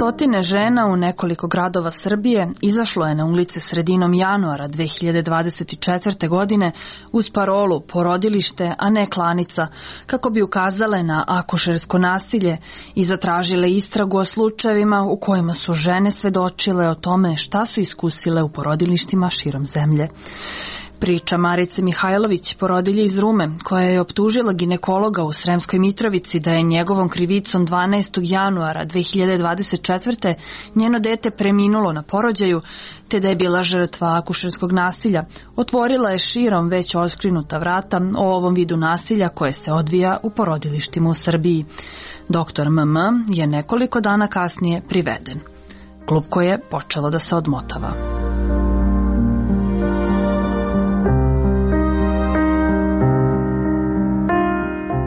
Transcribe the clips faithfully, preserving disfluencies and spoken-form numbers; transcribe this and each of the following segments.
Stotine žena u nekoliko gradova Srbije izašlo je na ulice sredinom januara dve hiljade dvadeset četvrte. godine uz parolu porodilište, a ne klanica, kako bi ukazale na akušersko nasilje i zatražile istragu o slučajevima u kojima su žene svedočile o tome šta su iskusile u porodilištima širom zemlje. Priča Marice Mihajlović, porodilje iz Rume, koja je optužila ginekologa u Sremskoj Mitrovici da je njegovom krivicom dvanaestog januara dve hiljade dvadeset četvrte. njeno dete preminulo na porođaju, te da je bila žrtva akušerskog nasilja, otvorila je širom već oskrinuta vrata o ovom vidu nasilja koje se odvija u porodilištima u Srbiji. Doktor M M je nekoliko dana kasnije priveden. Klupko je počelo da se odmotava.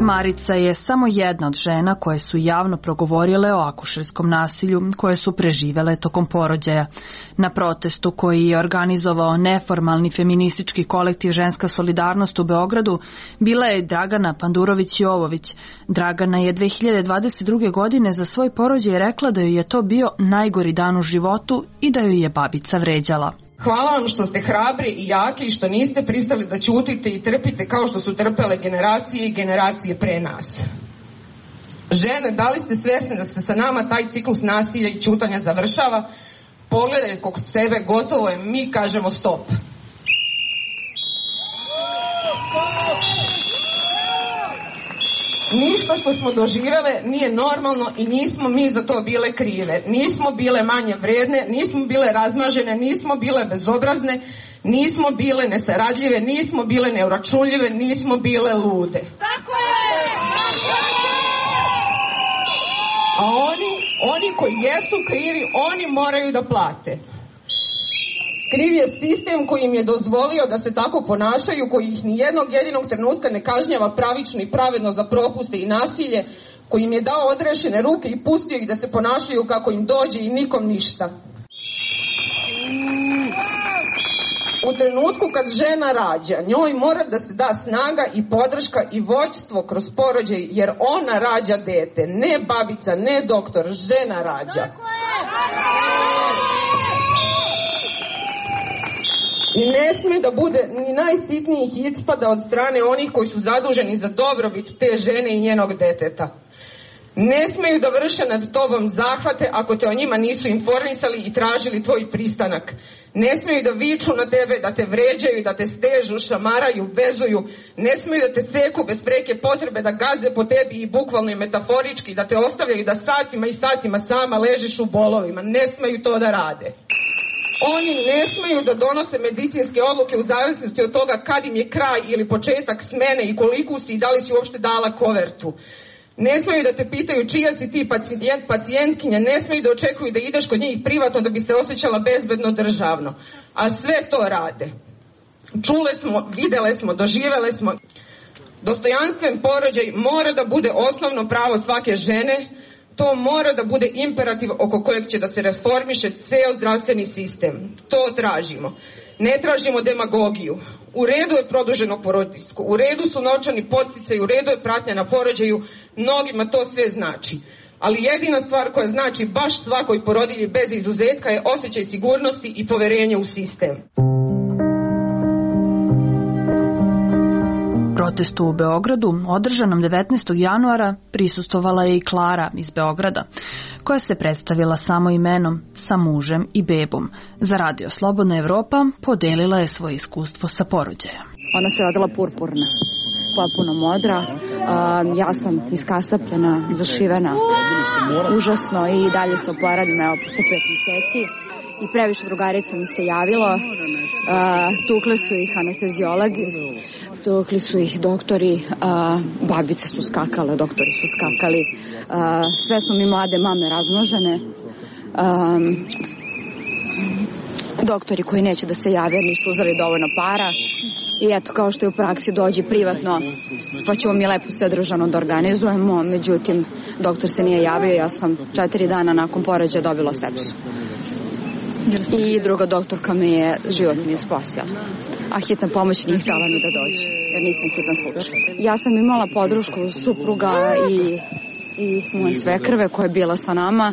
Marica je samo jedna od žena koje su javno progovorile o akušerskom nasilju koje su preživele tokom porođaja. Na protestu koji je organizovao neformalni feministički kolektiv Ženska solidarnost u Beogradu bila je Dragana Pandurović-Jovović. Dragana je dve hiljade dvadeset druge. godine za svoj porođaj rekla da joj je to bio najgori dan u životu i da joj je babica vređala. Hvala vam što ste hrabri i jaki i što niste pristali da ćutite i trpite kao što su trpele generacije i generacije pre nas. Žene, da li ste svesne da se sa nama taj ciklus nasilja i ćutanja završava? Pogledajte kod sebe, gotovo je, mi kažemo stop. Ništa što smo doživele nije normalno i nismo mi za to bile krive. Nismo bile manje vredne, nismo bile razmažene, nismo bile bezobrazne, nismo bile nesaradljive, nismo bile neuračunljive, nismo bile lude. Tako je! A oni, oni koji jesu krivi, oni moraju da plate. Kriv je sistem koji im je dozvolio da se tako ponašaju, koji ih ni jednog jedinog trenutka ne kažnjava pravično i pravedno za propuste i nasilje, koji im je dao odrešene ruke i pustio ih da se ponašaju kako im dođe i nikom ništa. U trenutku kad žena rađa, njoj mora da se da snaga i podrška i vođstvo kroz porođaj, jer ona rađa dete, ne babica, ne doktor, žena rađa. I ne sme da bude ni najsitnijih ispada od strane onih koji su zaduženi za dobrobit te žene i njenog deteta. Ne smeju da vrše nad tobom zahvate ako te o njima nisu informisali i tražili tvoj pristanak. Ne smeju da viču na tebe, da te vređaju, da te stežu, šamaraju, vezuju. Ne smeju da te seku bez preke potrebe, da gaze po tebi i bukvalno i metaforički, da te ostavljaju da satima i satima sama ležiš u bolovima. Ne smeju to da rade. Oni ne smeju da donose medicinske odluke u zavisnosti od toga kad im je kraj ili početak smene i koliko si i da li si uopšte dala kovertu. Ne smeju da te pitaju čija si ti pacijent, pacijentkinja, ne smeju da očekuju da ideš kod njih privatno da bi se osjećala bezbedno državno. A sve to rade. Čule smo, videle smo, doživele smo. Dostojanstven porođaj mora da bude osnovno pravo svake žene. To mora da bude imperativ oko kojeg će da se reformiše ceo zdravstveni sistem. To tražimo. Ne tražimo demagogiju. U redu je produženo porodiljsko, u redu su novčani podsticaji, u redu je pratnja na porođaju, mnogima to sve znači. Ali jedina stvar koja znači baš svakoj porodilji bez izuzetka je osjećaj sigurnosti i poverenje u sistem. Protestu u Beogradu, održanom devetnaestog januara, prisustvovala je i Klara iz Beograda, koja se predstavila samo imenom, sa mužem i bebom. Za Radio Slobodna Evropa podelila je svoje iskustvo sa porođaja. Ona se rodila purpurna, potpuno modra, ja sam iskasapljena, zašivena, užasno i dalje se oporavljam, evo, posle pet meseci. I previše drugarica mi se javilo, tukle su ih anesteziologi, tukli su ih doktori, babice su skakale, doktori su skakali, sve smo mi mlade mame razmnožene, doktori koji neće da se jave nisu uzeli dovoljno para i eto, kao što je u praksi, dođe privatno pa ćemo mi lepo sve državno da organizujemo, međutim doktor se nije javio, ja sam četiri dana nakon porođaja dobila sepsu. I druga doktorka me je, život mi je spasila. A hitna pomoć nije htjela ni da dođe, jer nisam hitan slučaj. Ja sam imala podršku supruga i i moje svekrve koja je bila sa nama,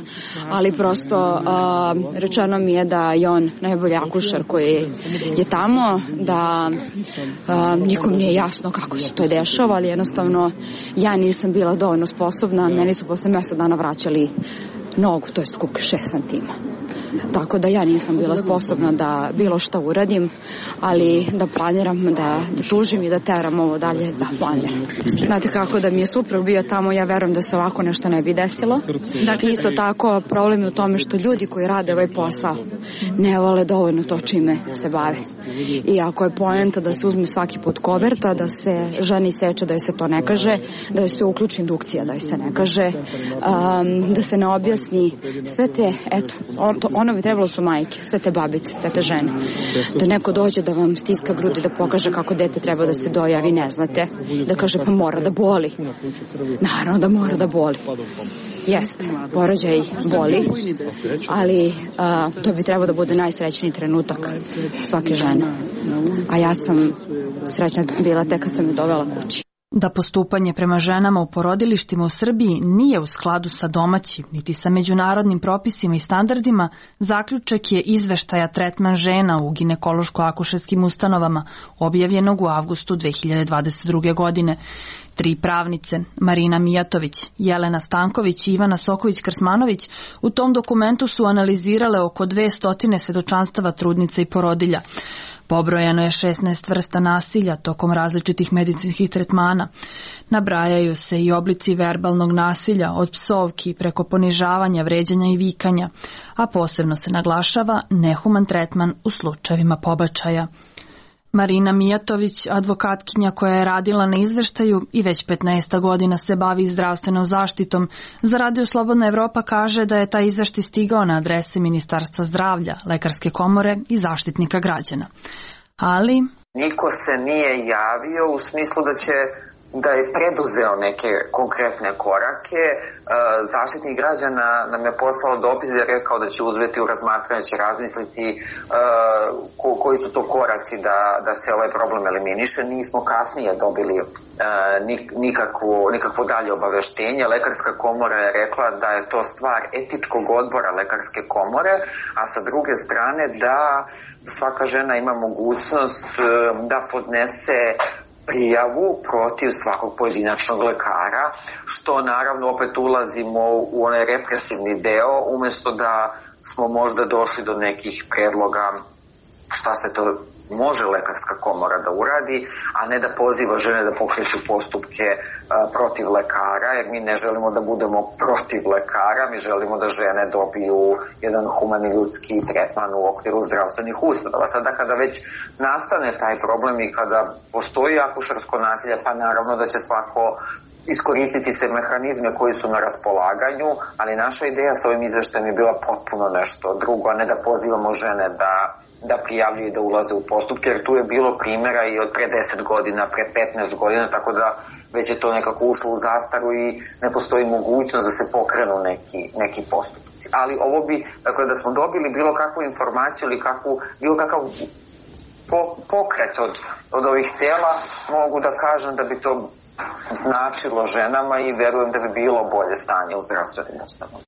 ali prosto uh, rečeno mi je da je on najbolji akušer koji je tamo, da uh, nikom nije jasno kako se to dešava, ali jednostavno ja nisam bila dovoljno sposobna, meni su posle mesec dana vraćali nogu, to je kuk šest santima. Tako da ja nisam bila sposobna da bilo šta uradim, ali da planiram, da, da tužim i da teram ovo dalje, da planiram. Znate kako, da mi je suprug bio tamo, ja verujem da se ovako nešto ne bi desilo. Dakle, isto tako, problem je u tome što ljudi koji rade ovaj posao ne vole dovoljno to čime se bave. I ako je poenta da se uzme svaki put koverta, da se ženi seče da joj se to ne kaže, da joj se uključi indukcija da joj se ne kaže, um, da se ne objasni sve te, eto, on, to, ono bi trebalo su majke, sve te babice, sve te žene. Da neko dođe da vam stiska grudi, da pokaže kako dete treba da se doja, a vi ne znate. Da kaže pa mora da boli. Naravno da mora da boli. Jeste, porođaj boli, ali a, to bi trebalo da bude najsrećniji trenutak svake žene. A ja sam srećna bila tek kad sam je dovela kući. Da postupanje prema ženama u porodilištima u Srbiji nije u skladu sa domaćim niti sa međunarodnim propisima i standardima, zaključak je izveštaja Tretman žena u ginekološko-akušerskim ustanovama, objavljenog u avgustu dve hiljade dvadeset druge. godine. Tri pravnice, Marina Mijatović, Jelena Stanković i Ivana Soković-Krsmanović, u tom dokumentu su analizirale oko dvesta svedočanstava trudnica i porodilja. Pobrojano je šesnaest vrsta nasilja tokom različitih medicinskih tretmana. Nabrajaju se i oblici verbalnog nasilja, od psovki preko ponižavanja, vređanja i vikanja, a posebno se naglašava nehuman tretman u slučajevima pobačaja. Marina Mijatović, advokatkinja koja je radila na izveštaju i već petnaest godina se bavi zdravstvenom zaštitom, za Radio Slobodna Evropa kaže da je taj izveštaj stigao na adrese Ministarstva zdravlja, Lekarske komore i Zaštitnika građana. Ali niko se nije javio u smislu da će da je preduzeo neke konkretne korake. Zaštitnik građana nam je poslao dopis i je rekao da će uzeti u razmatranje, će razmisliti ko, koji su to koraci da, da se ovaj problem eliminiše. Nismo kasnije dobili nikakvo, nikakvo dalje obaveštenje. Lekarska komora je rekla da je to stvar etičkog odbora Lekarske komore, a sa druge strane da svaka žena ima mogućnost da podnese prijavu protiv svakog pojedinačnog lekara, što naravno opet ulazimo u onaj represivni deo, umjesto da smo možda došli do nekih predloga šta se to može Lekarska komora da uradi, a ne da poziva žene da pokreću postupke a, protiv lekara, jer mi ne želimo da budemo protiv lekara, mi želimo da žene dobiju jedan humani ljudski tretman u okviru zdravstvenih ustanova. Sada kada već nastane taj problem i kada postoji akušersko nasilje, pa naravno da će svako iskoristiti se mehanizme koji su na raspolaganju, ali naša ideja sa ovim izveštajem je bila potpuno nešto drugo, a ne da pozivamo žene da da prijavljuju i da ulaze u postupke, jer tu je bilo primjera i od pre deset godina, pre petnaest godina, tako da već je to nekako ušlo u zastaru i ne postoji mogućnost da se pokrenu neki, neki postupci. Ali ovo bi, dakle, da smo dobili bilo kakvu informaciju ili kakvu, bilo kakav po, pokret od, od ovih tela, mogu da kažem da bi to značilo ženama i verujem da bi bilo bolje stanje u zdravstvenim ustanovama.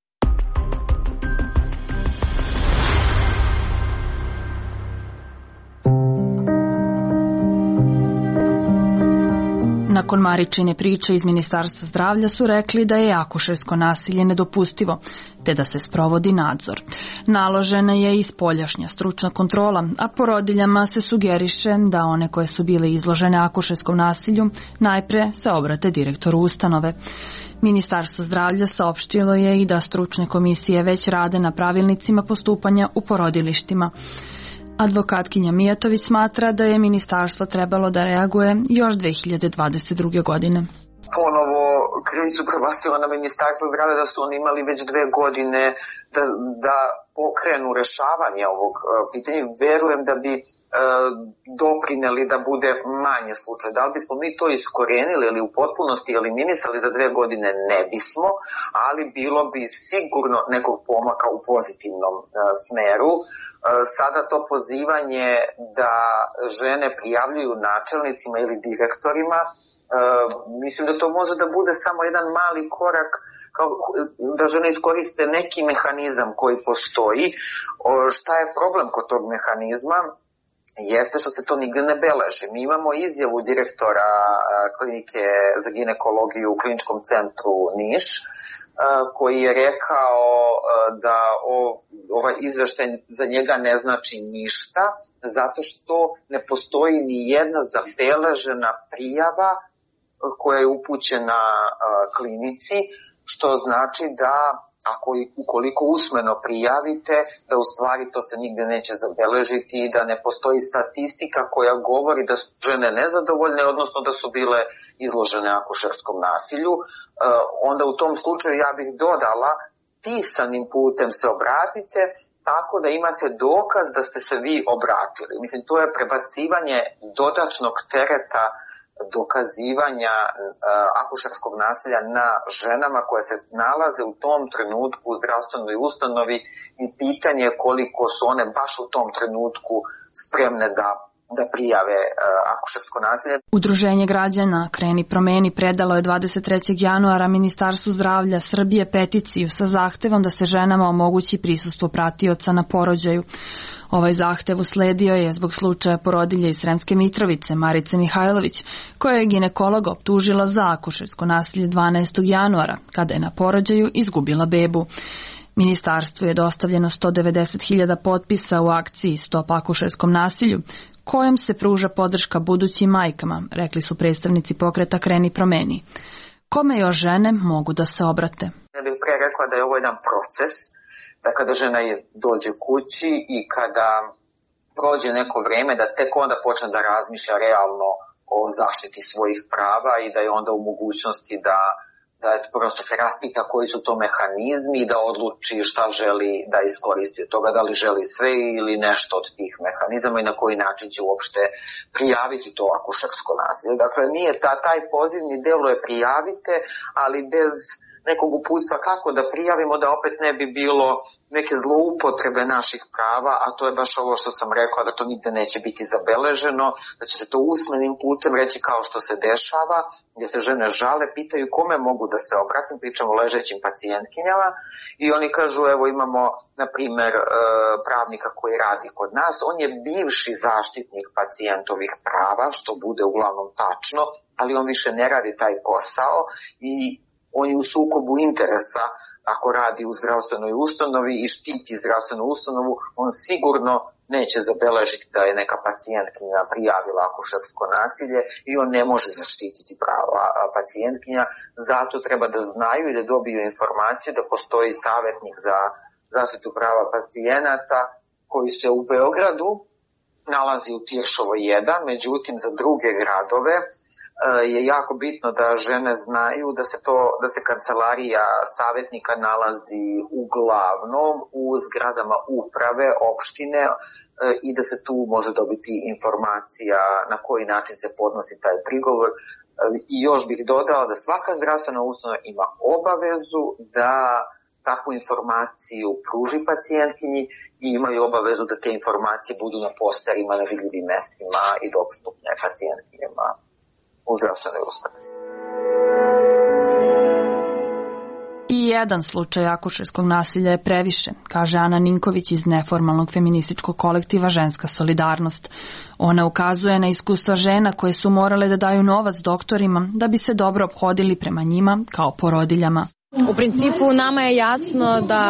Nakon Maričine priče iz Ministarstva zdravlja su rekli da je akušersko nasilje nedopustivo, te da se sprovodi nadzor. Naložena je i spoljašnja stručna kontrola, a porodiljama se sugeriše da one koje su bile izložene akušerskom nasilju najpre se obrate direktoru ustanove. Ministarstvo zdravlja saopštilo je i da stručne komisije već rade na pravilnicima postupanja u porodilištima. Advokatkinja Mijatović smatra da je ministarstvo trebalo da reaguje još dve hiljade dvadeset druge. godine. Ponovo krivicu prebacila na Ministarstvo zdravlja da su oni imali već dve godine da, da pokrenu rešavanje ovog pitanja. Verujem da bi e, doprineli da bude manje slučaj. Da li bismo mi to iskorenili ili u potpunosti eliminisali za dve godine? Ne bismo, ali bilo bi sigurno nekog pomaka u pozitivnom e, smeru. Sada to pozivanje da žene prijavljuju načelnicima ili direktorima mislim da to može da bude samo jedan mali korak kao da žene iskoriste neki mehanizam koji postoji. Šta je problem kod tog mehanizma? Jeste što se to nigde ne beleži. Mi imamo izjavu direktora klinike za ginekologiju u kliničkom centru Niš, koji je rekao da ovaj izveštaj za njega ne znači ništa, zato što ne postoji ni jedna zabeležena prijava koja je upućena klinici, što znači da ako ukoliko usmeno prijavite, da u stvari to se nigde neće zabeležiti i da ne postoji statistika koja govori da su žene nezadovoljne, odnosno da su bile izložene akušerskom nasilju. Onda u tom slučaju ja bih dodala, pisanim putem se obratite, tako da imate dokaz da ste se vi obratili. Mislim, to je prebacivanje dodatnog tereta dokazivanja uh, akušerskog nasilja na ženama koje se nalaze u tom trenutku u zdravstvenoj ustanovi i pitanje koliko su one baš u tom trenutku spremne da da prijave uh, akušersko nasilje. Udruženje građana Kreni promeni predalo je dvadeset trećeg januara Ministarstvu zdravlja Srbije peticiju sa zahtevom da se ženama omogući prisustvo pratioca na porođaju. Ovaj zahtev usledio je zbog slučaja porodilje iz Sremske Mitrovice Marice Mihajlović, koja je ginekologa optužila za akušersko nasilje dvanaestog januara, kada je na porođaju izgubila bebu. Ministarstvu je dostavljeno sto devedeset hiljada potpisa u akciji Stop akušerskom nasilju, kojom se pruža podrška budućim majkama, rekli su predstavnici pokreta Kreni promeni. Kome još žene mogu da se obrate? Ja bih pre rekla da je ovo jedan proces, da kada žena dođe kući i kada prođe neko vreme, da tek onda počne da razmišlja realno o zaštiti svojih prava i da je onda u mogućnosti da da prosto se raspita koji su to mehanizmi i da odluči šta želi da iskoristi od toga, da li želi sve ili nešto od tih mehanizama i na koji način će uopšte prijaviti to akušersko nasilje. Dakle, nije ta, taj pozivni delo je prijavite, ali bez nekog uputstva kako da prijavimo, da opet ne bi bilo neke zloupotrebe naših prava, a to je baš ovo što sam rekla, da to nigde neće biti zabeleženo, da će se to usmenim putem reći kao što se dešava, gdje se žene žale, pitaju kome mogu da se obratim, pričamo o ležećim pacijentkinjama i oni kažu, evo imamo, na primer, pravnika koji radi kod nas, on je bivši zaštitnik pacijentovih prava, što bude uglavnom tačno, ali on više ne radi taj posao i on je u sukobu interesa ako radi u zdravstvenoj ustanovi i štiti zdravstvenu ustanovu, on sigurno neće zabeležiti da je neka pacijentkinja prijavila akušersko nasilje i on ne može zaštititi prava pacijentkinja. Zato treba da znaju i da dobiju informacije da postoji savjetnik za zaštitu prava pacijenata koji se u Beogradu nalazi u Tiršovoj jedan, međutim za druge gradove je jako bitno da žene znaju da se to da se kancelarija savjetnika nalazi uglavnom u zgradama uprave opštine i da se tu može dobiti informacija na koji način se podnosi taj prigovor. I još bih dodala da svaka zdravstvena ustanova ima obavezu da takvu informaciju pruži pacijentkinji i imaju obavezu da te informacije budu na posterima, na vidljivim mestima i dostupne pacijentkinjama u zdravstvenoj ustanovi. I jedan slučaj akušerskog nasilja je previše, kaže Ana Ninković iz neformalnog feminističkog kolektiva Ženska solidarnost. Ona ukazuje na iskustva žena koje su morale da daju novac doktorima da bi se dobro ophodili prema njima kao porodiljama. U principu nama je jasno da,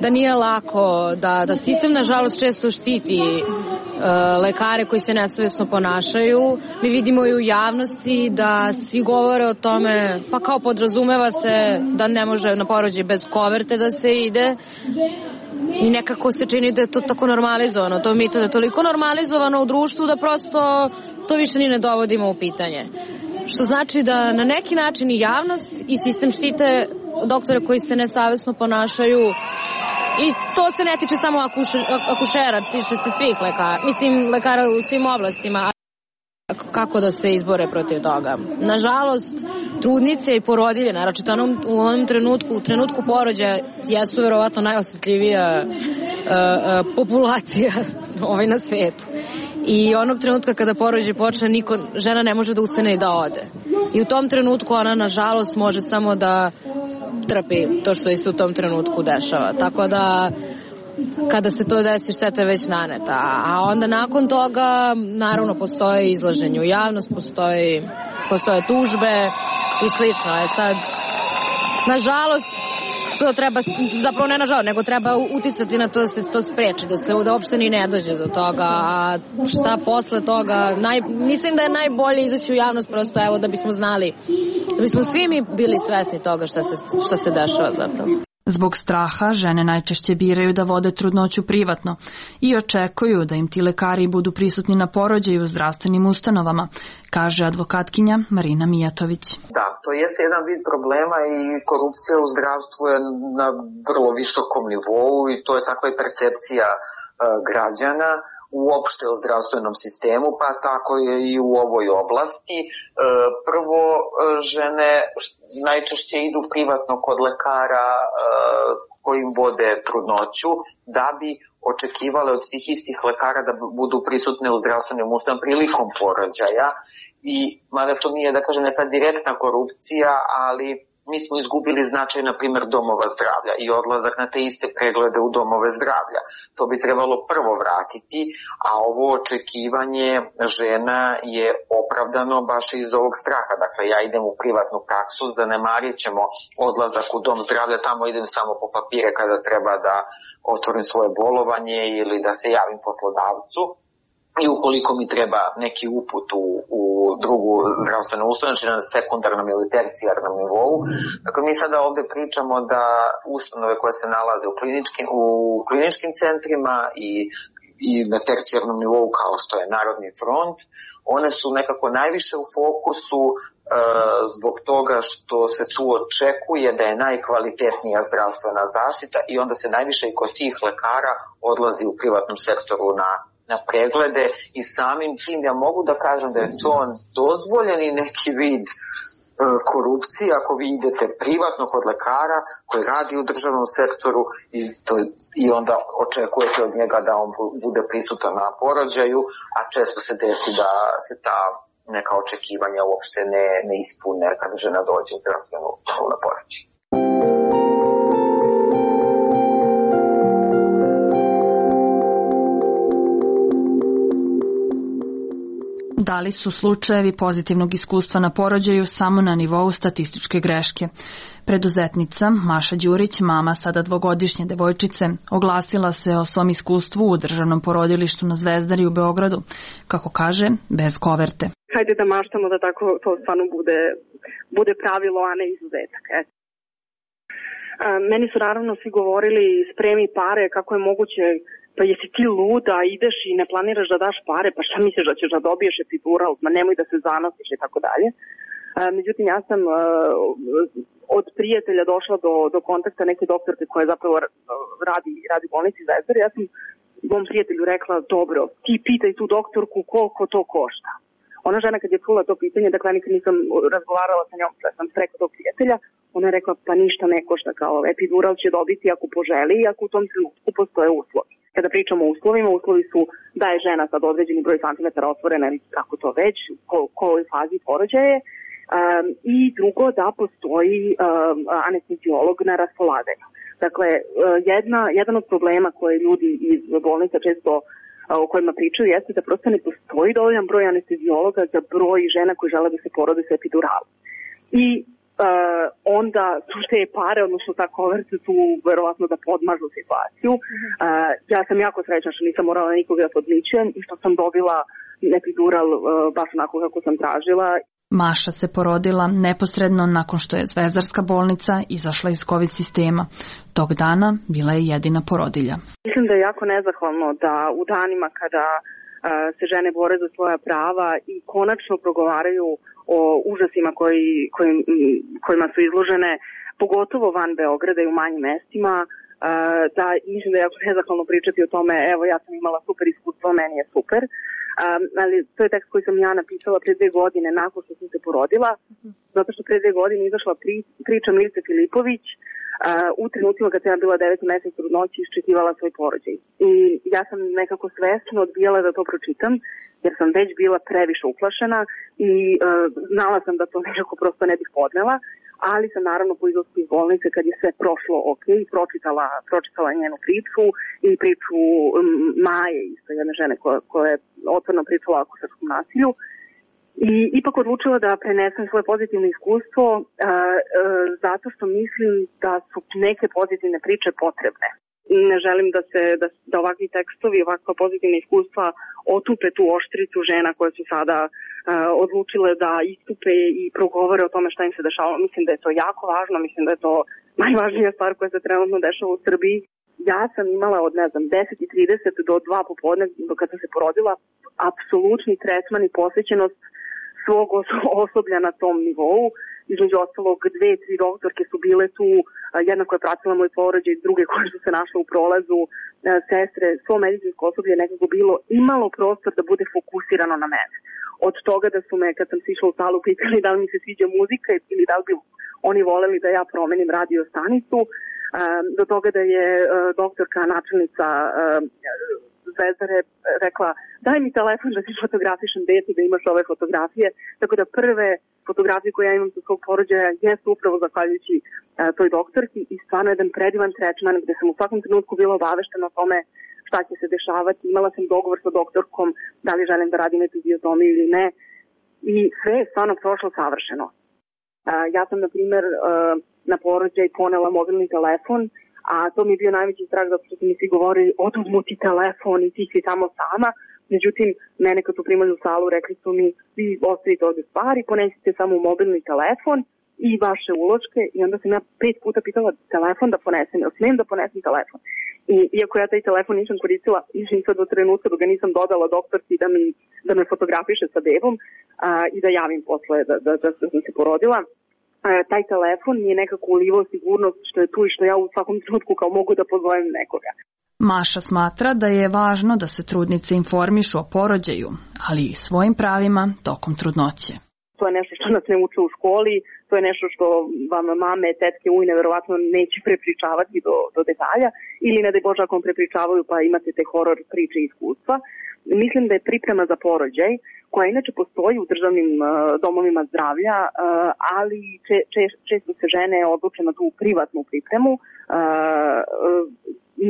da nije lako, da, da sistem nažalost često štiti uh, lekare koji se nesavjesno ponašaju. Mi vidimo i u javnosti da svi govore o tome, pa kao podrazumeva se da ne može na porođaj bez koverte da se ide. I nekako se čini da je to tako normalizovano, to mito da je toliko normalizovano u društvu da prosto to više ni ne dovodimo u pitanje. Što znači da na neki način i javnost i sistem štite doktore koji se nesavjesno ponašaju i to se ne tiče samo akušer, akušera, tiče se svih lekara, mislim lekara u svim oblastima. Kako da se izbore protiv toga? Nažalost, trudnice i porodilje, naročito u onom trenutku, u trenutku porođaja, jesu verovatno najosjetljivija uh, uh, populacija ovaj na svetu. i onog trenutka kada porođaj počne, niko, žena ne može da ustane i da ode. I u tom trenutku ona, nažalost, može samo da trpi to što se u tom trenutku dešava. Tako da kada se to desi, šteta je već naneta. A onda nakon toga, naravno, postoje izlaženje u javnost, postoji, postoje tužbe i slično. Je sad, nažalost, što treba, zapravo ne nažalost, nego treba uticati na to da se to spreči, da se da uopšte ni ne dođe do toga. A šta posle toga, naj, mislim da je najbolje izaći u javnost prosto, evo, da bismo znali, da bismo svi mi bili svesni toga šta se, šta se dešava zapravo. Zbog straha, žene najčešće biraju da vode trudnoću privatno i očekuju da im ti lekari budu prisutni na porođaju u zdravstvenim ustanovama, kaže advokatkinja Marina Mijatović. Da, to jeste jedan vid problema i korupcija u zdravstvu je na vrlo visokom nivou i to je takva i percepcija uh, građana uopšte o zdravstvenom sistemu, pa tako je i u ovoj oblasti. Prvo, žene najčešće idu privatno kod lekara koji im vode trudnoću, da bi očekivale od tih istih lekara da budu prisutne u zdravstvenim ustanovama prilikom porođaja. I mada to nije, da kažem, neka direktna korupcija, ali mi smo izgubili značaj, na primjer, domova zdravlja i odlazak na te iste preglede u domove zdravlja. To bi trebalo prvo vratiti, a ovo očekivanje žena je opravdano baš iz ovog straha. Dakle, ja idem u privatnu praksu, zanemarit ćemo odlazak u dom zdravlja, tamo idem samo po papire kada treba da otvorim svoje bolovanje ili da se javim poslodavcu. I ukoliko mi treba neki uput u, u drugu zdravstvenu ustanovu, znači na sekundarnom ili tercijarnom nivou. Dakle, mi sada ovde pričamo da ustanove koje se nalaze u kliničkim, u kliničkim centrima i, i na tercijarnom nivou kao što je Narodni front, one su nekako najviše u fokusu e, zbog toga što se tu očekuje da je najkvalitetnija zdravstvena zaštita i onda se najviše i kod tih lekara odlazi u privatnom sektoru na na preglede i samim tim ja mogu da kažem da je to dozvoljeni neki vid e, korupcije ako vi idete privatno kod lekara koji radi u državnom sektoru i, to, i onda očekujete od njega da on bude prisutan na porođaju, a često se desi da se ta neka očekivanja uopšte ne, ne ispune kada žena dođe u zdravstvenu ustanovu na porođaj. Da li su slučajevi pozitivnog iskustva na porođaju samo na nivou statističke greške? Preduzetnica Maša Đurić, mama sada dvogodišnje devojčice, oglasila se o svom iskustvu u državnom porodilištu na Zvezdari u Beogradu, kako kaže, bez koverte. Hajde da maštamo da tako to stvarno bude, bude pravilo, a ne izuzetak. Eto. Meni su naravno svi govorili spremi pare, kako je moguće, pa jesi ti luda, ideš i ne planiraš da daš pare, pa šta misliš da ćeš da dobiješ epidural, ma nemoj da se zanosiš i tako dalje. Međutim, ja sam uh, od prijatelja došla do, do kontakta neke doktorke koja zapravo radi, radi u bolnici Zvezdari. Ja sam mom prijatelju rekla, dobro, ti pitaj tu doktorku koliko to košta. Ona žena kad je čula to pitanje, dakle nikad nisam razgovarala sa njom, da sam rekla tog prijatelja, ona je rekla, pa ništa ne košta, kao epidural će dobiti ako poželi i ako u tom trenutku postoje uslovi. Kada pričamo o uslovima, uslovi su da je žena sad određeni broj santimetara otvorena ili kako to već, ko, kojoj fazi porođaje, um, i drugo da postoji um, anesteziolog na raspolaganju. Dakle, jedna, jedan od problema koje ljudi iz bolnica često o kojima pričaju jeste da prosto ne postoji dovoljan broj anesteziologa za broj žena koji žele da se porode sa epiduralom. I Uh, onda su te pare, odnosno ta koverta tu verovatno da podmažu situaciju. Uh, ja sam jako srećna što nisam morala nikoga da podmićujem i što sam dobila epidural uh, baš onako kako sam tražila. Maša se porodila neposredno nakon što je Zvezdarska bolnica izašla iz COVID sistema. Tog dana bila je jedina porodilja. Mislim da je jako nezahvalno da u danima kada uh, se žene bore za svoja prava i konačno progovaraju o užasima koji, koji, kojima su izložene, pogotovo van Beograda i u manjim mestima, da mislim da je jako nezahvalno pričati o tome, evo ja sam imala super iskustvo, meni je super, um, ali to je tekst koji sam ja napisala pre dve godine nakon što sam se porodila, zato što pre dve godine izašla pri, priča Milice Filipović, u trenutima kad sam ja bila deveti mesec trudnoći iščekivala svoj porođaj. I ja sam nekako svesno odbijala da to pročitam, jer sam već bila previše uplašena i uh, znala sam da to nekako prosto ne bih podnela, ali sam naravno po izlasku iz bolnice kad je sve prošlo ok, pročitala, pročitala njenu priču i priču um, Maje, isto jedne žene koja, koja je otvoreno pričala o srpskom nasilju. I ipak odlučila da prenesem svoje pozitivno iskustvo a, a, zato što mislim da su neke pozitivne priče potrebne. Ne želim da se da, da ovakvi tekstovi, ovakva pozitivna iskustva otupe tu oštricu žena koje su sada a, odlučile da istupe i progovore o tome šta im se dešava. Mislim da je to jako važno, mislim da je to najvažnija stvar koja se trenutno dešava u Srbiji. Ja sam imala od, ne znam, deset i trideset do dva popodne, do kad sam se porodila, apsolutni tretman i posvećenost svog osoblja na tom nivou. Između ostalog, dve, tri doktorke su bile tu, jedna koja je pratila moj porođaj, druge koje su se našle u prolazu, sestre, svo medicinsko osoblje je nekako bilo imalo prostor da bude fokusirano na mene. Od toga da su me, kad sam sišla u salu, pitali da li mi se sviđa muzika ili da li bi oni voleli da ja promenim radio stanicu, do toga da je doktorka, načelnica Zvezdare rekla daj mi telefon da ti fotografišem dete, da imaš ove fotografije. Tako da prve fotografije koje ja imam sa svog porođaja jesu upravo zahvaljujući uh, toj doktorki i stvarno jedan predivan tretman gde sam u svakom trenutku bila obaveštena o tome šta će se dešavati. Imala sam dogovor sa doktorkom da li želim da radim epiziotomiju ili ne i sve je stvarno prošlo savršeno. Uh, ja sam, na primer, uh, na porođaj ponela mobilni telefon, a to mi je bio najveći strah zato što su mi svi govorili oduzmu ti telefon i ti si tamo sama. Međutim, mene kad su primali u salu rekli su mi vi ostavite ovde stvari, ponesite samo mobilni telefon i vaše uloške i onda sam ja pet puta pitala telefon da ponesem, jel smijem da ponesem telefon. I iako ja taj telefon nisam koristila, išim sad do trenutka dok ga nisam dodala doktorki da, mi, da me fotografiše sa bebom a, i da javim posle da, da, da, da sam se porodila. Taj telefon mi je nekako ulivao sigurnost što je tu i što ja u svakom trenutku kao mogu da pozovem nekoga. Maša smatra da je važno da se trudnice informišu o porođaju, ali i svojim pravima tokom trudnoće. To je nešto što nas ne uče u školi, to je nešto što vam mame, tetke, ujne verovatno neće prepričavati do, do detalja ili ne daj Bože ako vam prepričavaju pa imate te horor priče i iskustva. Mislim da je priprema za porođaj, koja inače postoji u državnim uh, domovima zdravlja, uh, ali če, če, često se žene odluče na tu privatnu pripremu, uh,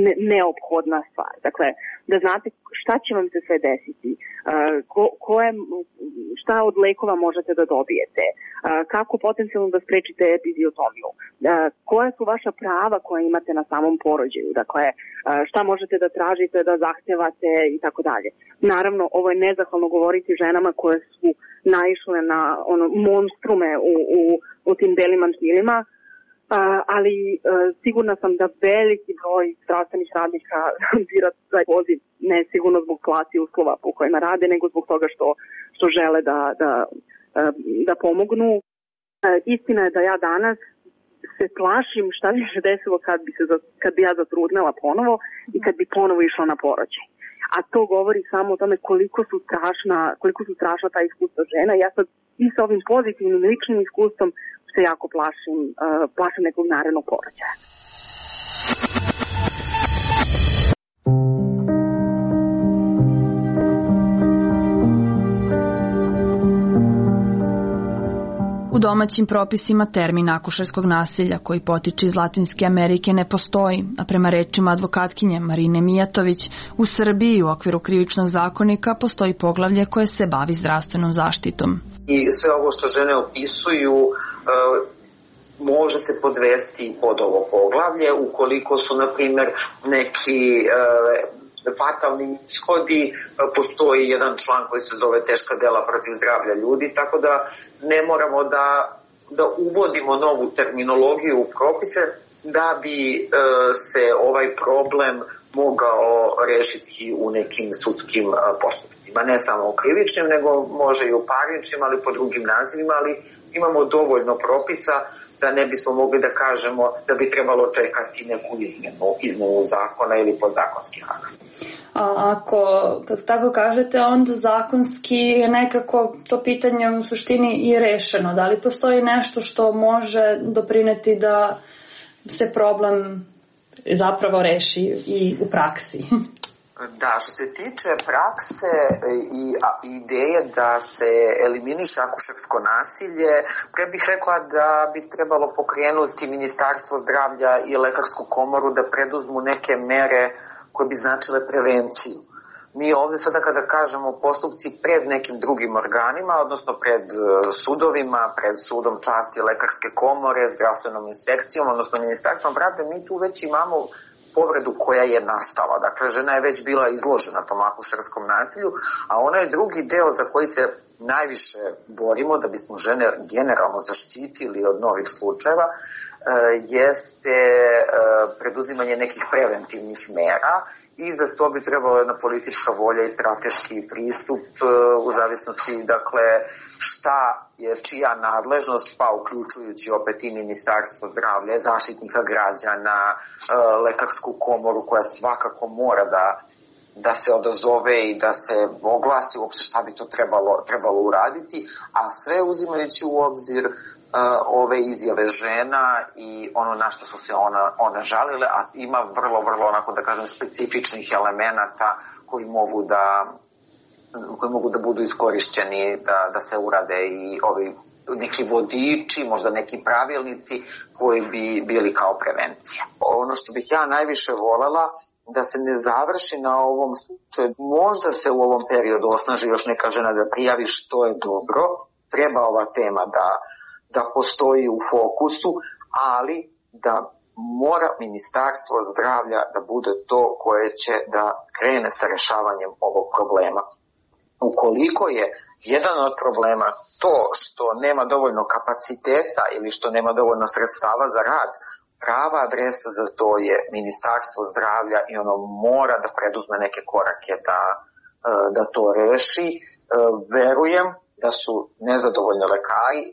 ne, neophodna stvar. Dakle, da znate šta će vam se sve desiti, uh, ko, koje, šta od lekova možete da dobijete, uh, kako potencijalno da sprečite epiziotomiju, uh, koja su vaša prava koja imate na samom porođaju, dakle, uh, šta možete da tražite, da zahtevate i tako dalje. Naravno, ovo je nezahvalno govoriti ženama koje su naišle na ono, monstrume u, u, u tim belim mantilima, Uh, ali uh, sigurna sam da veliki broj zdravstvenih radnika bira taj poziv ne sigurno zbog plati i uslova po kojima rade, nego zbog toga što, što žele da, da, uh, da pomognu. Uh, istina je da ja danas se plašim šta bi se desilo kad bi, se, kad bi ja zatrudnela ponovo i kad bi ponovo išla na porođaj. A to govori samo o tome koliko su strašna, koliko su strašna ta iskustva žena. Ja sad i sa ovim pozitivnim ličnim iskustvom se jako plašim, uh, plašim nekog narednog porođaja. U domaćim propisima termin akušerskog nasilja koji potiče iz Latinske Amerike ne postoji, a prema rečima advokatkinje Marine Mijatović, u Srbiji u okviru krivičnog zakonika postoji poglavlje koje se bavi zdravstvenom zaštitom. I sve ovo što žene opisuju može se podvesti pod ovo poglavlje ukoliko su, na primjer, neki fatalni ishodi, postoji jedan član koji se zove teška dela protiv zdravlja ljudi, tako da ne moramo da, da uvodimo novu terminologiju u propise da bi e, se ovaj problem mogao rešiti u nekim sudskim postupcima. Ne samo u krivičnim, nego može i u parničnim, ali po drugim nazivima, ali imamo dovoljno propisa da ne bismo mogli da kažemo da bi trebalo čekati neku izmenu, izmenu zakona ili podzakonskih akata. A ako, kad tako kažete, onda zakonski je nekako to pitanje u suštini i rešeno. Da li postoji nešto što može doprineti da se problem zapravo reši i u praksi. Da, što se tiče prakse i ideje da se eliminiše akušersko nasilje, pre bih rekla da bi trebalo pokrenuti Ministarstvo zdravlja i Lekarsku komoru da preduzmu neke mere koje bi značile prevenciju. Mi ovde sada kada kažemo postupci pred nekim drugim organima, odnosno pred sudovima, pred sudom časti Lekarske komore, zdravstvenom inspekcijom, odnosno Ministarstvom pravde, mi tu već imamo povredu koja je nastala. Dakle, žena je već bila izložena tom akušerskom nasilju, a onaj drugi deo za koji se najviše borimo da bismo žene generalno zaštitili od novih slučajeva jeste preduzimanje nekih preventivnih mera i za to bi trebalo jedna politička volja i strateški pristup u zavisnosti, dakle, šta je čija nadležnost, pa uključujući opet i Ministarstvo zdravlja, Zaštitnika građana, Lekarsku komoru koja svakako mora da, da se odazove i da se oglasi uopšte šta bi to trebalo, trebalo uraditi, a sve uzimajući u obzir uh, ove izjave žena i ono na što su se ona, one žalile, a ima vrlo, vrlo, onako da kažem, specifičnih elemenata koji mogu da koji mogu da budu iskorišćeni da, da se urade i ovi neki vodiči, možda neki pravilnici koji bi bili kao prevencija. Ono što bih ja najviše volela da se ne završi na ovom slučaju, možda se u ovom periodu osnaži još neka žena da prijavi, što je dobro, treba ova tema da, da postoji u fokusu, ali da mora Ministarstvo zdravlja da bude to koje će da krene sa rešavanjem ovog problema. Ukoliko je jedan od problema to što nema dovoljno kapaciteta ili što nema dovoljno sredstava za rad, prava adresa za to je Ministarstvo zdravlja i ono mora da preduzme neke korake da, da to reši. Verujem da su nezadovoljni lekari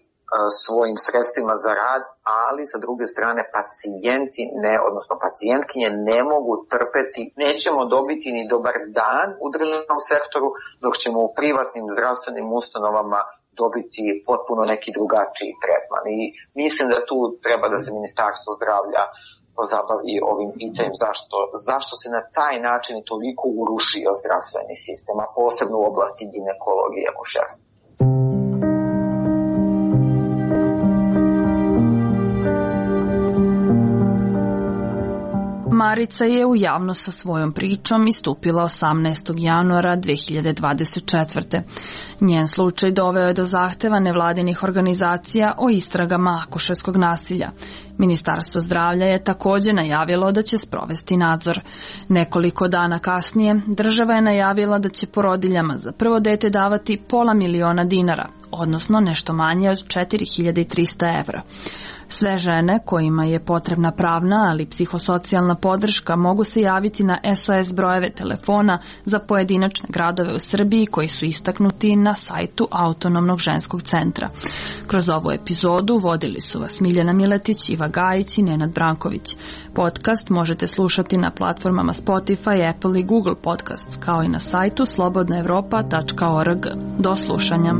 svojim sredstvima za rad, ali sa druge strane pacijenti, ne, odnosno pacijentkinje ne mogu trpeti, nećemo dobiti ni dobar dan u državnom sektoru, dok ćemo u privatnim zdravstvenim ustanovama dobiti potpuno neki drugačiji tretman. I mislim da tu treba da se Ministarstvo zdravlja pozabavi ovim pitanjem zašto, zašto se na taj način toliko urušio zdravstveni sistem, a posebno u oblasti ginekologije i akušerstva. Marica je u javnost sa svojom pričom istupila osamnaestog januara dve hiljade dvadeset četvrte. Njen slučaj doveo je do zahteva nevladinih organizacija o istragama akušerskog nasilja. Ministarstvo zdravlja je takođe najavilo da će sprovesti nadzor. Nekoliko dana kasnije država je najavila da će porodiljama za prvo dete davati pola miliona dinara, odnosno nešto manje od četiri hiljade trista evra. Sve žene kojima je potrebna pravna, ali psihosocijalna podrška mogu se javiti na S O S brojeve telefona za pojedinačne gradove u Srbiji koji su istaknuti na sajtu Autonomnog ženskog centra. Kroz ovu epizodu vodili su vas Miljana Miletić, Iva Gajić i Nenad Branković. Podcast možete slušati na platformama Spotify, Apple i Google Podcasts, kao i na sajtu slobodna evropa tačka org. Do slušanja.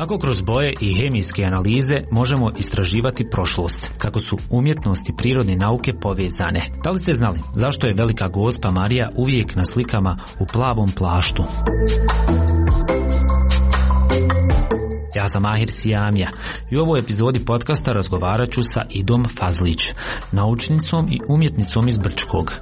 Kako kroz boje i hemijske analize možemo istraživati prošlost, kako su umjetnost i prirodne nauke povezane. Da li ste znali zašto je Velika Gospa Marija uvijek na slikama u plavom plaštu? Ja sam Mahir Sijamija i u ovoj epizodi podcasta razgovarat ću sa Idom Fazlić, naučnicom i umjetnicom iz Brčkog.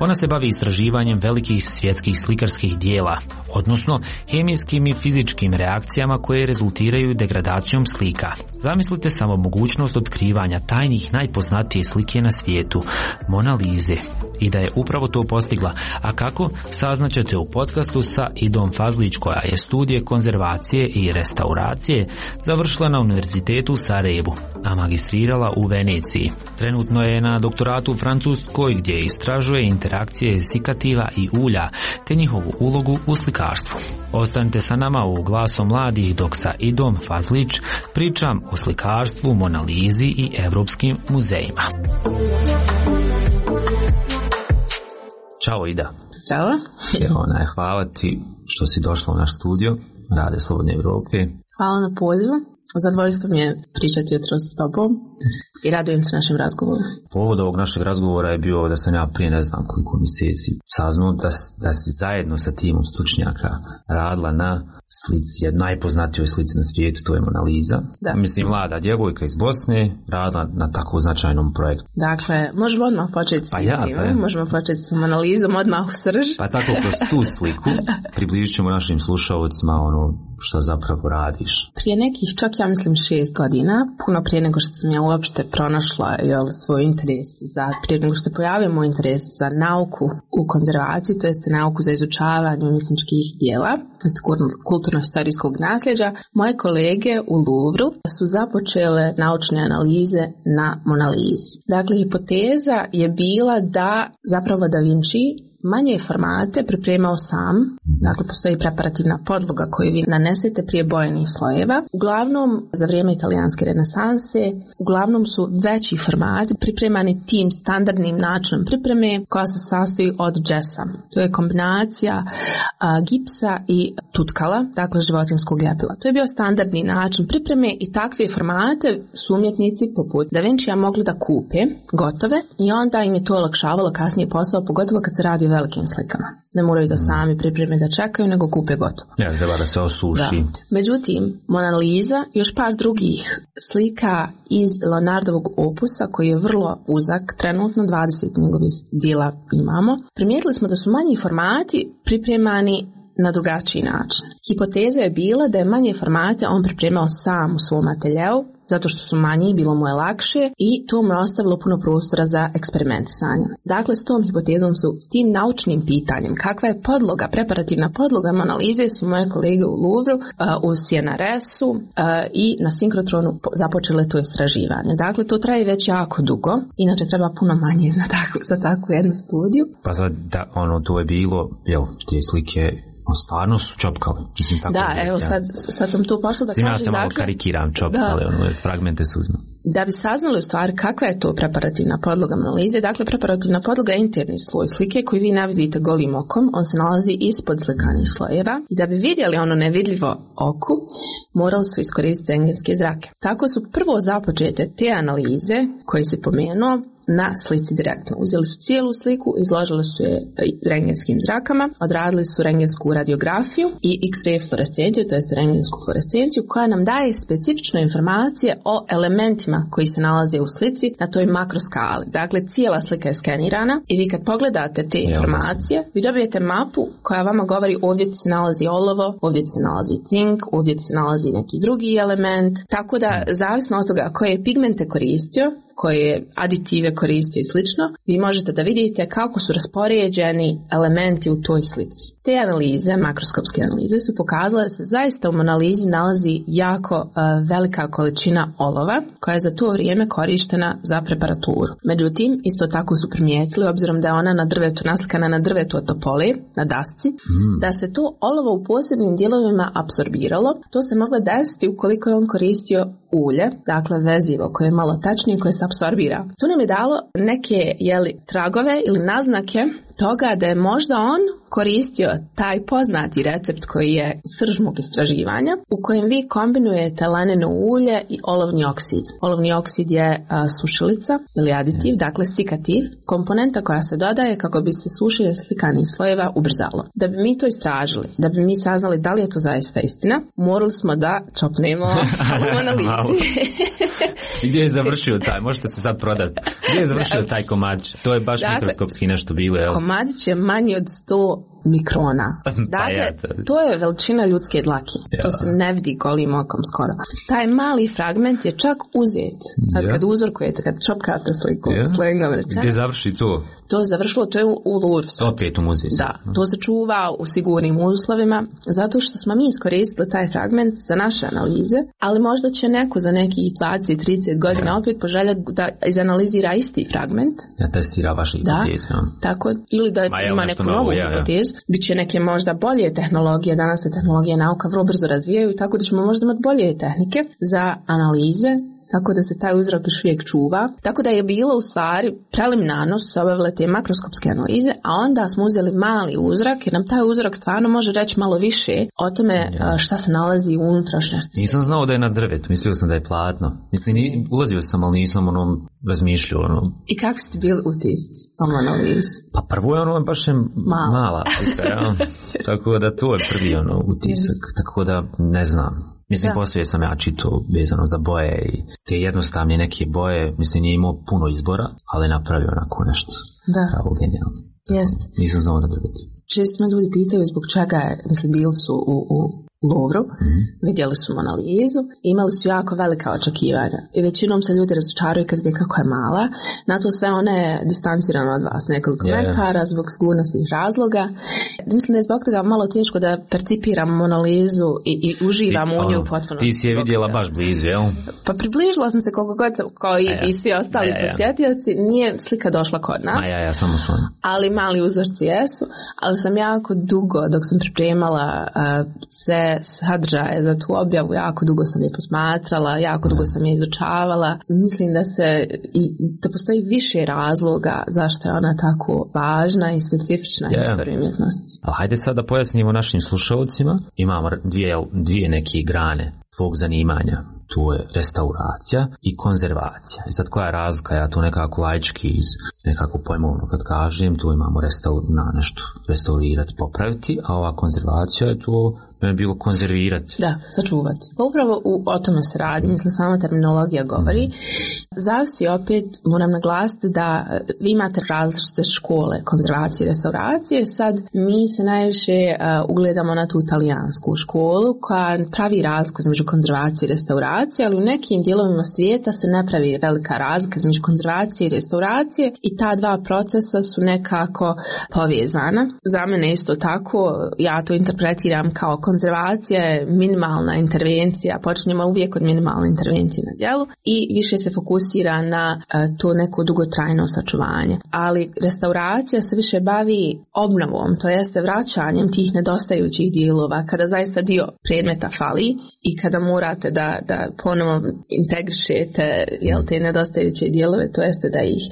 Ona se bavi istraživanjem velikih svjetskih slikarskih dijela, odnosno hemijskim i fizičkim reakcijama koje rezultiraju degradacijom slika. Zamislite samo mogućnost otkrivanja tajnih najpoznatije slike na svijetu, Mona Lise. I da je upravo to postigla. A kako? Saznaćete u podcastu sa Idom Fazlić, koja je studije konzervacije i restauracije završila na Univerzitetu u Sarajevu, a magistrirala u Veneciji. Trenutno je na doktoratu u Francuskoj, gdje istražuje interakcije sikativa i ulja te njihovu ulogu u slikarstvu. Ostanite sa nama u Glasu mladih dok sa Idom Fazlić pričam o slikarstvu, Mona Lisi i evropskim muzejima. Ćao Ida. Ćao. Ona, hvala ti što si došla u naš studio Rade Slobodne Evrope. Hvala na pozivu. Zadovoljstvo mi je pričati jutros s tobom i radujem se našem razgovoru. Povod ovog našeg razgovora je bio da sam ja prije ne znam koliko mjeseci saznao da, da si zajedno sa timom stručnjaka radila na slici, najpoznatijoj slici na svijetu, to je Mona Lisa. Da. Mislim, mlada djevojka iz Bosne radila na tako značajnom projektu. Dakle, možemo odmah početi s pa ja, pa ja. Možemo početi sa Mona Lisom odmah u srž. Pa tako kroz tu sliku približit ćemo našim slušalcima ono što zapravo radiš. Prije nekih čak ja mislim šest godina, puno prije nego što sam ja uopšte pronašla jel, svoj interes za, prije nego što se pojavio moj interes za nauku u konzervaciji, to jest nauku za izučavanje umjetničkih dijela, to jest kulturno-historijskog nasljeđa, moje kolege u Louvru su započele naučne analize na Mona Lisi. Dakle, hipoteza je bila da zapravo Da Vinci manje formate pripremao sam, dakle postoji preparativna podloga koju vi nanesete prije bojenih slojeva. Uglavnom, za vrijeme italijanske renesanse, uglavnom su veći formati pripremani tim standardnim načinom pripreme koja se sastoji od džesa. To je kombinacija a, gipsa i tutkala, dakle životinskog ljepila. To je bio standardni način pripreme i takve formate su umjetnici poput Da Vincija mogli da kupe gotove i onda im je to olakšavalo kasnije posao, pogotovo kad se radi o velikim slikama. Ne moraju da sami pripreme da čekaju, nego kupe gotovo. Ja, treba da se osuši. Da. Međutim, Mona Lisa i još par drugih slika iz Leonardovog opusa, koji je vrlo uzak, trenutno dvadeset njegovih dijela imamo, primijetili smo da su manji formati pripremani na drugačiji način. Hipoteza je bila da je manje formate on pripremao sam u svom ateljeu, zato što su manji, bilo mu je lakše i to mu je ostavilo puno prostora za eksperimentisanje. Dakle, s tom hipotezom su, s tim naučnim pitanjem, kakva je podloga, preparativna podloga Mona Lise, su moje kolege u Louvru, u C N R S-u i na Synchrotron započele to istraživanje. Dakle, to traje već jako dugo, inače treba puno manje za takvu, za takvu jednu studiju. Pa sad, da, ono, to je bilo, jel, te slike stvarno su čopkali. Mislim, tako da, je, evo, ja. sad, sad sam tu pošla da Sima kažem. Ja se malo dakle, karikiram čopkali, ono, fragmente suzme. Da bi saznali u stvari kakva je to preparativna podloga Mona Lise, dakle, preparativna podloga je interni sloj slike koji vi ne vidite golim okom, on se nalazi ispod slikanih slojeva i da bi vidjeli ono nevidljivo oku, morali su iskoristiti rentgenske zrake. Tako su prvo započete te analize koje si pomenuo na slici direktno. Uzeli su cijelu sliku, izložili su je rentgenskim zrakama, odradili su rentgensku radiografiju i X-ray fluorescenciju, to jest rentgensku fluorescenciju, koja nam daje specifične informacije o elementima koji se nalaze u slici na toj makroskali. Dakle, cijela slika je skenirana i vi kad pogledate te informacije, vi dobijete mapu koja vama govori ovdje se nalazi olovo, ovdje se nalazi cink, ovdje se nalazi neki drugi element. Tako da, zavisno od toga koje pigmente koristio, koje aditive koristio i slično, vi možete da vidite kako su raspoređeni elementi u toj slici. Te analize, makroskopske analize, su pokazale da se zaista u Mona Lisi nalazi jako uh, velika količina olova koja je za to vrijeme korištena za preparaturu. Međutim, isto tako su primijetili, obzirom da je ona na drvetu naslikana na drvetu od topole, na dasci, mm. da se to olovo u posebnim dijelovima apsorbiralo. To se moglo desiti ukoliko je on koristio ulje, dakle vezivo koje je malo tačnije, koje je apsorbira. To nam je dalo neke jeli, tragove ili naznake toga da je možda on koristio taj poznati recept koji je srž mog istraživanja, u kojem vi kombinujete laneno ulje i olovni oksid. Olovni oksid je a, sušilica ili aditiv, dakle sikativ, komponenta koja se dodaje kako bi se sušenje slikanih slojeva ubrzalo. Da bi mi to istražili, da bi mi saznali da li je to zaista istina, morali smo da čopnemo u analizi. Gdje je završio taj? Možete se sad prodati. Gdje je završio taj komadić? To je baš dakle, mikroskopski nešto bilo. Jel? Komadić je manji od sto mikrona. Dakle, to je veličina ljudske dlake. Ja. To se ne vidi golim okom skoro. Taj mali fragment je čak uzet. Sad ja. Kad uzorkujete, kad čopkate sliku, ja. Slengom rečeno. Gdje završi to? To je završilo, to je u, u Louvru. Opet u muzeju. Da, to se čuva u sigurnim uslovima, zato što smo mi iskoristili taj fragment za naše analize, ali možda će neko za nekih dvadeset do trideset godina opet poželjati da izanalizira isti fragment. Da testira vaše hipoteze. Da, tako, ili da Ma, ima neku novu ja, hipotezu. Ja. Biće neke možda bolje tehnologije, danas se tehnologija i nauka vrlo brzo razvijaju, tako da ćemo možda imati bolje tehnike za analize, tako da se taj uzrok još uvijek čuva. Tako da je bilo u stvari preliminarno su se obavile te makroskopske analize, a onda smo uzeli mali uzrak jer nam taj uzrok stvarno može reći malo više o tome šta se nalazi u unutrašnjosti. Nisam znao da je na drvetu, mislio sam da je platno. Mislim, ulazio sam, ali nisam ono razmišljao. Ono. I kako ste bili utisci ovom analizi? Pa prvo je ono baš je mala, mala ja. Tako da to je prvi ono utisak, tako da ne znam. Mislim, da. Poslije sam ja čitao vezano za boje i te jednostavne neke boje, mislim, nije imao puno izbora, ali napravio onako nešto. Da. Pravo genijalno. Jeste. Nisam znao da drviti. Često me ljudi pitaju zbog čega je, mislim, bili su u, u Louvru, mm-hmm. vidjeli su analizu, imali su jako velika očekivanja i većinom se ljudi razočaraju kad vide kako je mala. Na to sve ona je distancirana od vas nekoliko yeah. metara zbog sigurnosnih razloga. Mislim da je zbog toga malo teško da percipiram analizu i, i uživam u nju potpuno. Ti si je vidjela baš blizu, jel? Pa približila sam se koliko god sam, kao i, ja. i svi ostali ja, ja. posjetioci. Nije slika došla kod nas. A ja, ja, samo sam. Ali mali uzorci jesu. Ali sam jako dugo, dok sam pripremala uh, sve sadržaje za tu objavu, jako dugo sam je posmatrala, jako dugo sam je izučavala. Mislim da se i, da postoji više razloga zašto je ona tako važna i specifična yeah. istorija umjetnosti. Ali hajde sad da pojasnimo našim slušalcima. Imamo dvije, dvije neke grane tvog zanimanja. Tu je restauracija i konzervacija. I sad koja je razlika? Ja to nekako laički iz nekako pojmovno kad kažem, tu imamo restaur, na nešto restaurirati, popraviti, a ova konzervacija je tu je bilo konzervirati. Da, sačuvati. Pa upravo u, o tome se radi, mislim sama terminologija govori. Mm. Zavisi opet, moram naglasiti da vi imate različite škole konzervacije i restauracije. Sad mi se najviše uh, ugledamo na tu italijansku školu koja pravi razliku između konzervacije i restauracije, ali u nekim dijelovima svijeta se ne pravi velika razlika između konzervacije i restauracije i ta dva procesa su nekako povezana. Za mene isto tako, ja to interpretiram kao konzervacija je minimalna intervencija, počinjemo uvijek od minimalne intervencije na djelu i više se fokusira na uh, to neko dugotrajno sačuvanje. Ali restauracija se više bavi obnovom, to jeste vraćanjem tih nedostajućih dijelova kada zaista dio predmeta fali i kada morate da, da ponovo integrišete jel, te nedostajuće dijelove, to jeste da ih,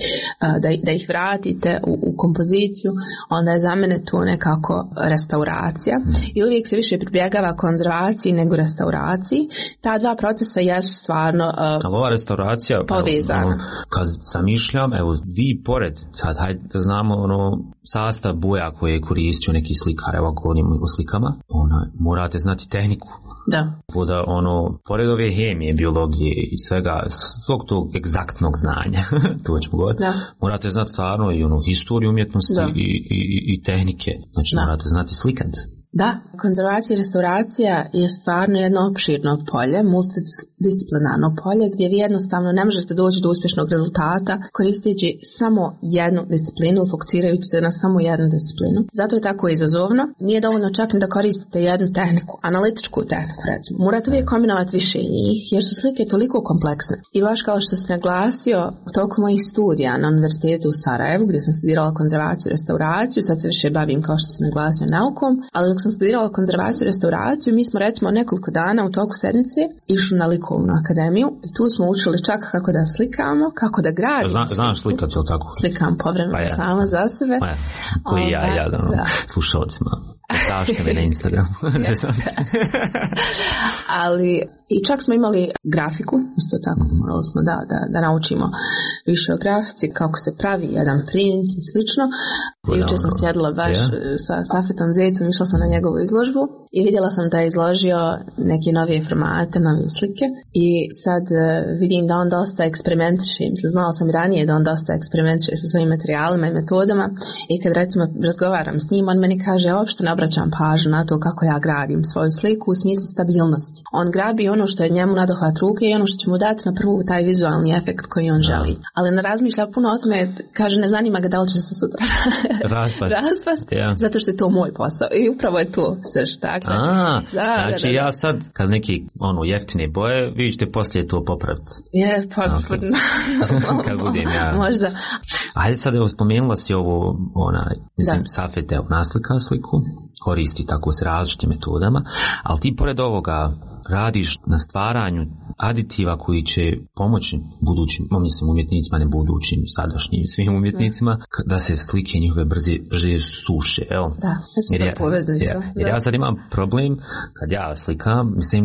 uh, da, da ih vratite u, u kompoziciju, onda je za mene to nekako restauracija i uvijek se više pribjegava konzervaciji nego restauraciji. Ta dva procesa jesu stvarno uh, ali ova restauracija povezana. Evo, kad zamišljam, evo vi pored, sad hajde da znamo ono, sastav boja koje je koristio neki slikar, evo govorimo o slikama, ono, morate znati tehniku. Da. Da ono, pored ove hemije, biologije i svega, svog tog egzaktnog znanja, to ćemo govoriti, da. Morate znati stvarno i ono, historiju umjetnosti i, i, i tehnike. Znači da. Morate znati slikat. Da, konzervacija i restauracija je stvarno jedno opširno polje, multidisciplinarno polje, gdje vi jednostavno ne možete doći do uspješnog rezultata koristeći samo jednu disciplinu, fokusirajući se na samo jednu disciplinu. Zato je tako izazovno. Nije dovoljno čak ni da koristite jednu tehniku, analitičku tehniku recimo. Morate uvijek kombinovati više njih, jer su slike toliko kompleksne. I baš kao što sam naglasio, u toku mojih studija na Univerzitetu u Sarajevu, gdje sam studirala konzervaciju i restauraciju, sad se više bavim kao što sam naglasio naukom, ali dok sam studirala konzervaciju i restauraciju, mi smo recimo nekoliko dana u toku sedmice išli na likovnu akademiju i tu smo učili čak kako da slikamo, kako da gradimo. Zna, znaš slikat, je li tako? Slikam povremeno pa ja. sama za sebe. Pa ja. Koji ja, ja, da, no, slušalcima. Tražite me na Instagram. Ja. Ali i čak smo imali grafiku, isto tako, morali smo da, da, da naučimo više o grafici, kako se pravi jedan print i slično. Jučer sam sjedila baš yeah. sa Safetom Zecom, išla sam na njegovu izložbu i vidjela sam da je izložio neke novije formate, novije slike i sad vidim da on dosta eksperimentiše, mislim, znala sam i ranije da on dosta eksperimentiše sa svojim materijalima i metodama i kad recimo razgovaram s njim, on meni kaže, uopšte ne obraćam pažnju na to kako ja gradim svoju sliku u smislu stabilnosti. On grabi ono što je njemu nadohvat ruke i ono što će mu dati na prvu taj vizualni efekt koji on želi. Ali ne razmišlja puno o tome, kaže, ne zanima ga da li će se sutra raspast, raspast yeah. zato što je to moj posao i upravo je to srž. Dakle, A, da, znači da, da, da. Ja sad kad neki ono jeftine boje, vi ćete poslije to popraviti. Je, pa okay. Kad budem ja. Možda. Ajde sad, evo, spomenula si ovo, onaj, mislim, da. Safet, evo, naslika sliku, koristi tako s različitim metodama, ali ti pored ovoga radiš na stvaranju aditiva koji će pomoći budućim, mislim, umjetnicima, ne budućim, sadašnjim, svim umjetnicima, da, da se slike njihove brže, brže suše, evo. Da, jer ja, poveznica. Ja, jer ja sad imam problem, kad ja slikam, mislim,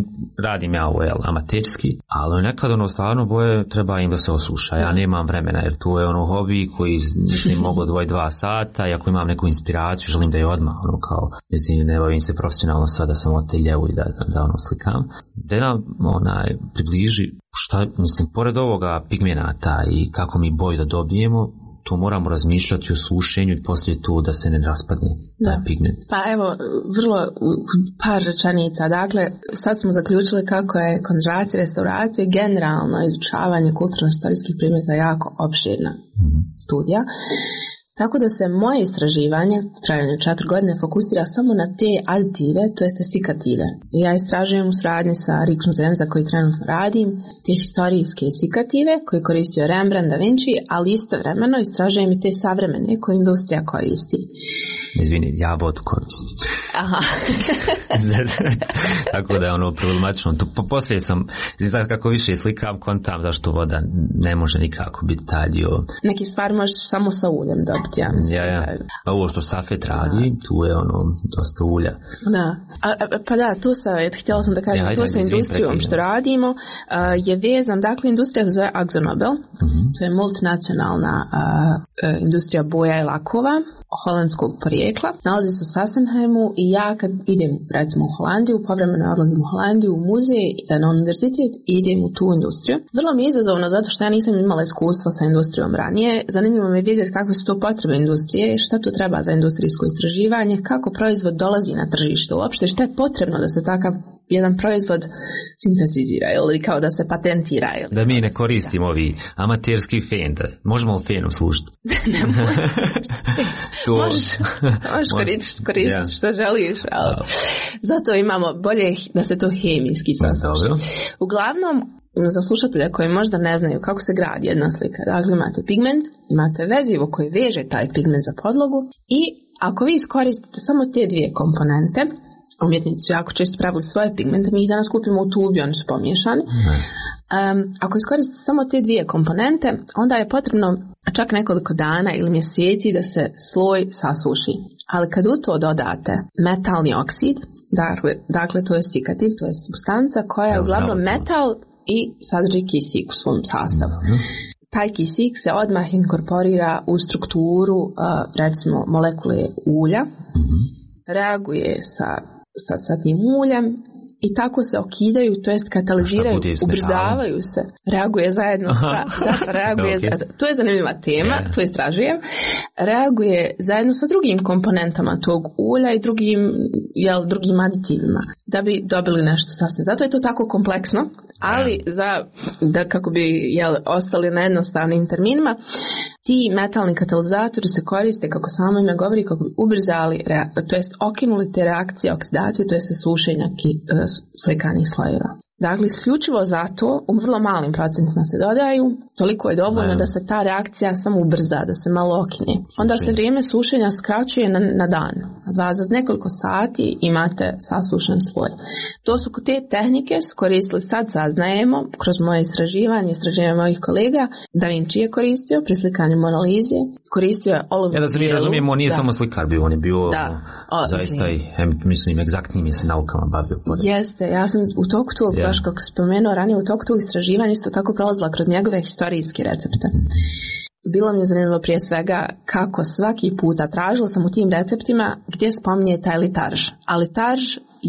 radim ja ovo, jel, amaterski, ali nekad ono stvarno boje treba im da se osuša, ja nemam vremena, jer to je ono hobi koji, mislim, mogu odvojiti dva sata, i ako imam neku inspiraciju, želim da je odmah, ono kao, mislim, ne bavim se profesionalno sad da sam oteljevu i da, da ono slikam. Da nam onaj približi šta, mislim, pored ovoga pigmenata i kako mi boju da dobijemo, to moramo razmišljati o sušenju i poslije to da se ne raspadne taj da. pigment. Pa evo, vrlo par rečenica. Dakle, sad smo zaključili kako je konzervacija i restauracija generalno izučavanje kulturno-istorijskih predmeta jako opširna mm-hmm. studija. Tako da se moje istraživanje, trajanje četiri godine, fokusira samo na te aditive, to jeste sikative. Ja istražujem u suradnji sa Rijksmuzejem za koji trenutno radim, te historijske sikative koje koristio Rembrandt, Da Vinci, ali istovremeno istražujem i te savremene koje industrija koristi. Izvini, ja vodu koristim. Aha. Tako da je ono problematično. To, po, poslije sam, sad kako više slikam, kontam zašto voda ne može nikako biti taj dio. Neki stvari možeš samo sa uljem dobiti, ja mislim. Ja, ja. A ovo što Safet radi, tu je ono dosta ulja. Da. A, a, pa da, to sa, htjela sam da kažem, ja, to sa industrijom što radimo uh, je vezan, dakle, industrija se zove AkzoNobel, uh-huh. to je multinacionalna uh, uh, industrija boja i lakova, holandskog porijekla. Nalazi se u Sassenheimu i ja kad idem recimo u Holandiju, povremeno odlazim u Holandiju u muzej, na univerzitet i idem u tu industriju. Vrlo mi je izazovno zato što ja nisam imala iskustva sa industrijom ranije. Zanimljivo mi je vidjeti kakve su to potrebe industrije, šta to treba za industrijsko istraživanje, kako proizvod dolazi na tržište uopšte, šta je potrebno da se takav jedan proizvod sintetizira ili kao da se patentira. Ili da mi ne koristimo ovi amaterski fen, da možemo li fenu služiti? Ne možeš. To... Možeš, možeš koristiti koristit yeah. što želiš, ali oh. zato imamo bolje da se to hemijski sasuši. Uglavnom, za slušatelja koji možda ne znaju kako se gradi jedna slika, dakle imate pigment, imate vezivo koje veže taj pigment za podlogu i ako vi iskoristite samo te dvije komponente, umjetnici su jako često pravili svoje pigmente, mi ih danas kupimo u tubi, oni su pomiješani. Um, ako iskoristite samo te dvije komponente, onda je potrebno čak nekoliko dana ili mjeseci da se sloj sasuši. Ali kad u to dodate metalni oksid, dakle, dakle to je sikativ, to je supstanca koja je uglavnom metal i sadrži kisik u svom sastavu. Taj kisik se odmah inkorporira u strukturu, uh, recimo, molekule ulja, mm-hmm. reaguje sa Sa, sa tim uljem i tako se okidaju, to jest kataliziraju, ubrzavaju se, reaguje zajedno sa, da, reaguje, okay. za, to je zanimljiva tema, yeah. to istražujem, reaguje zajedno sa drugim komponentama tog ulja i drugim, jel, drugim aditivima, da bi dobili nešto sasvim. Zato je to tako kompleksno, ali yeah. za, da kako bi, jel, ostali na jednostavnim terminima, ti metalni katalizatori se koriste, kako samo ime govori, kako bi ubrzali, to jest okinuli te reakcije oksidacije, to jest sušenja slikanih slojeva. Dakle, isključivo zato u vrlo malim procentima se dodaju, toliko je dovoljno da se ta reakcija samo ubrza, da se malo okine. Onda se vrijeme sušenja skraćuje na, na dan. Dva za nekoliko sati imate sasušen sloj. To su te tehnike su koristili, sad saznajemo, kroz moje istraživanje, istraživanje mojih kolega, Da Vinci je koristio pri slikanju Mona Lise, koristio je olovnu Ja da se mi razumijemo, on nije da. samo slikar bio, on je bio da. O, zaista i, mislim, egzaktnim je se naukama bavio. Pored. Jeste, ja sam u toku tog, yeah. baš kako spomenuo ranije, u toku tog istraživanja isto tako prolazila kroz njegove historijske recepte. Bilo mi je zanimljivo prije svega kako svaki puta tražila sam u tim receptima gdje spominje taj litarž. A litarž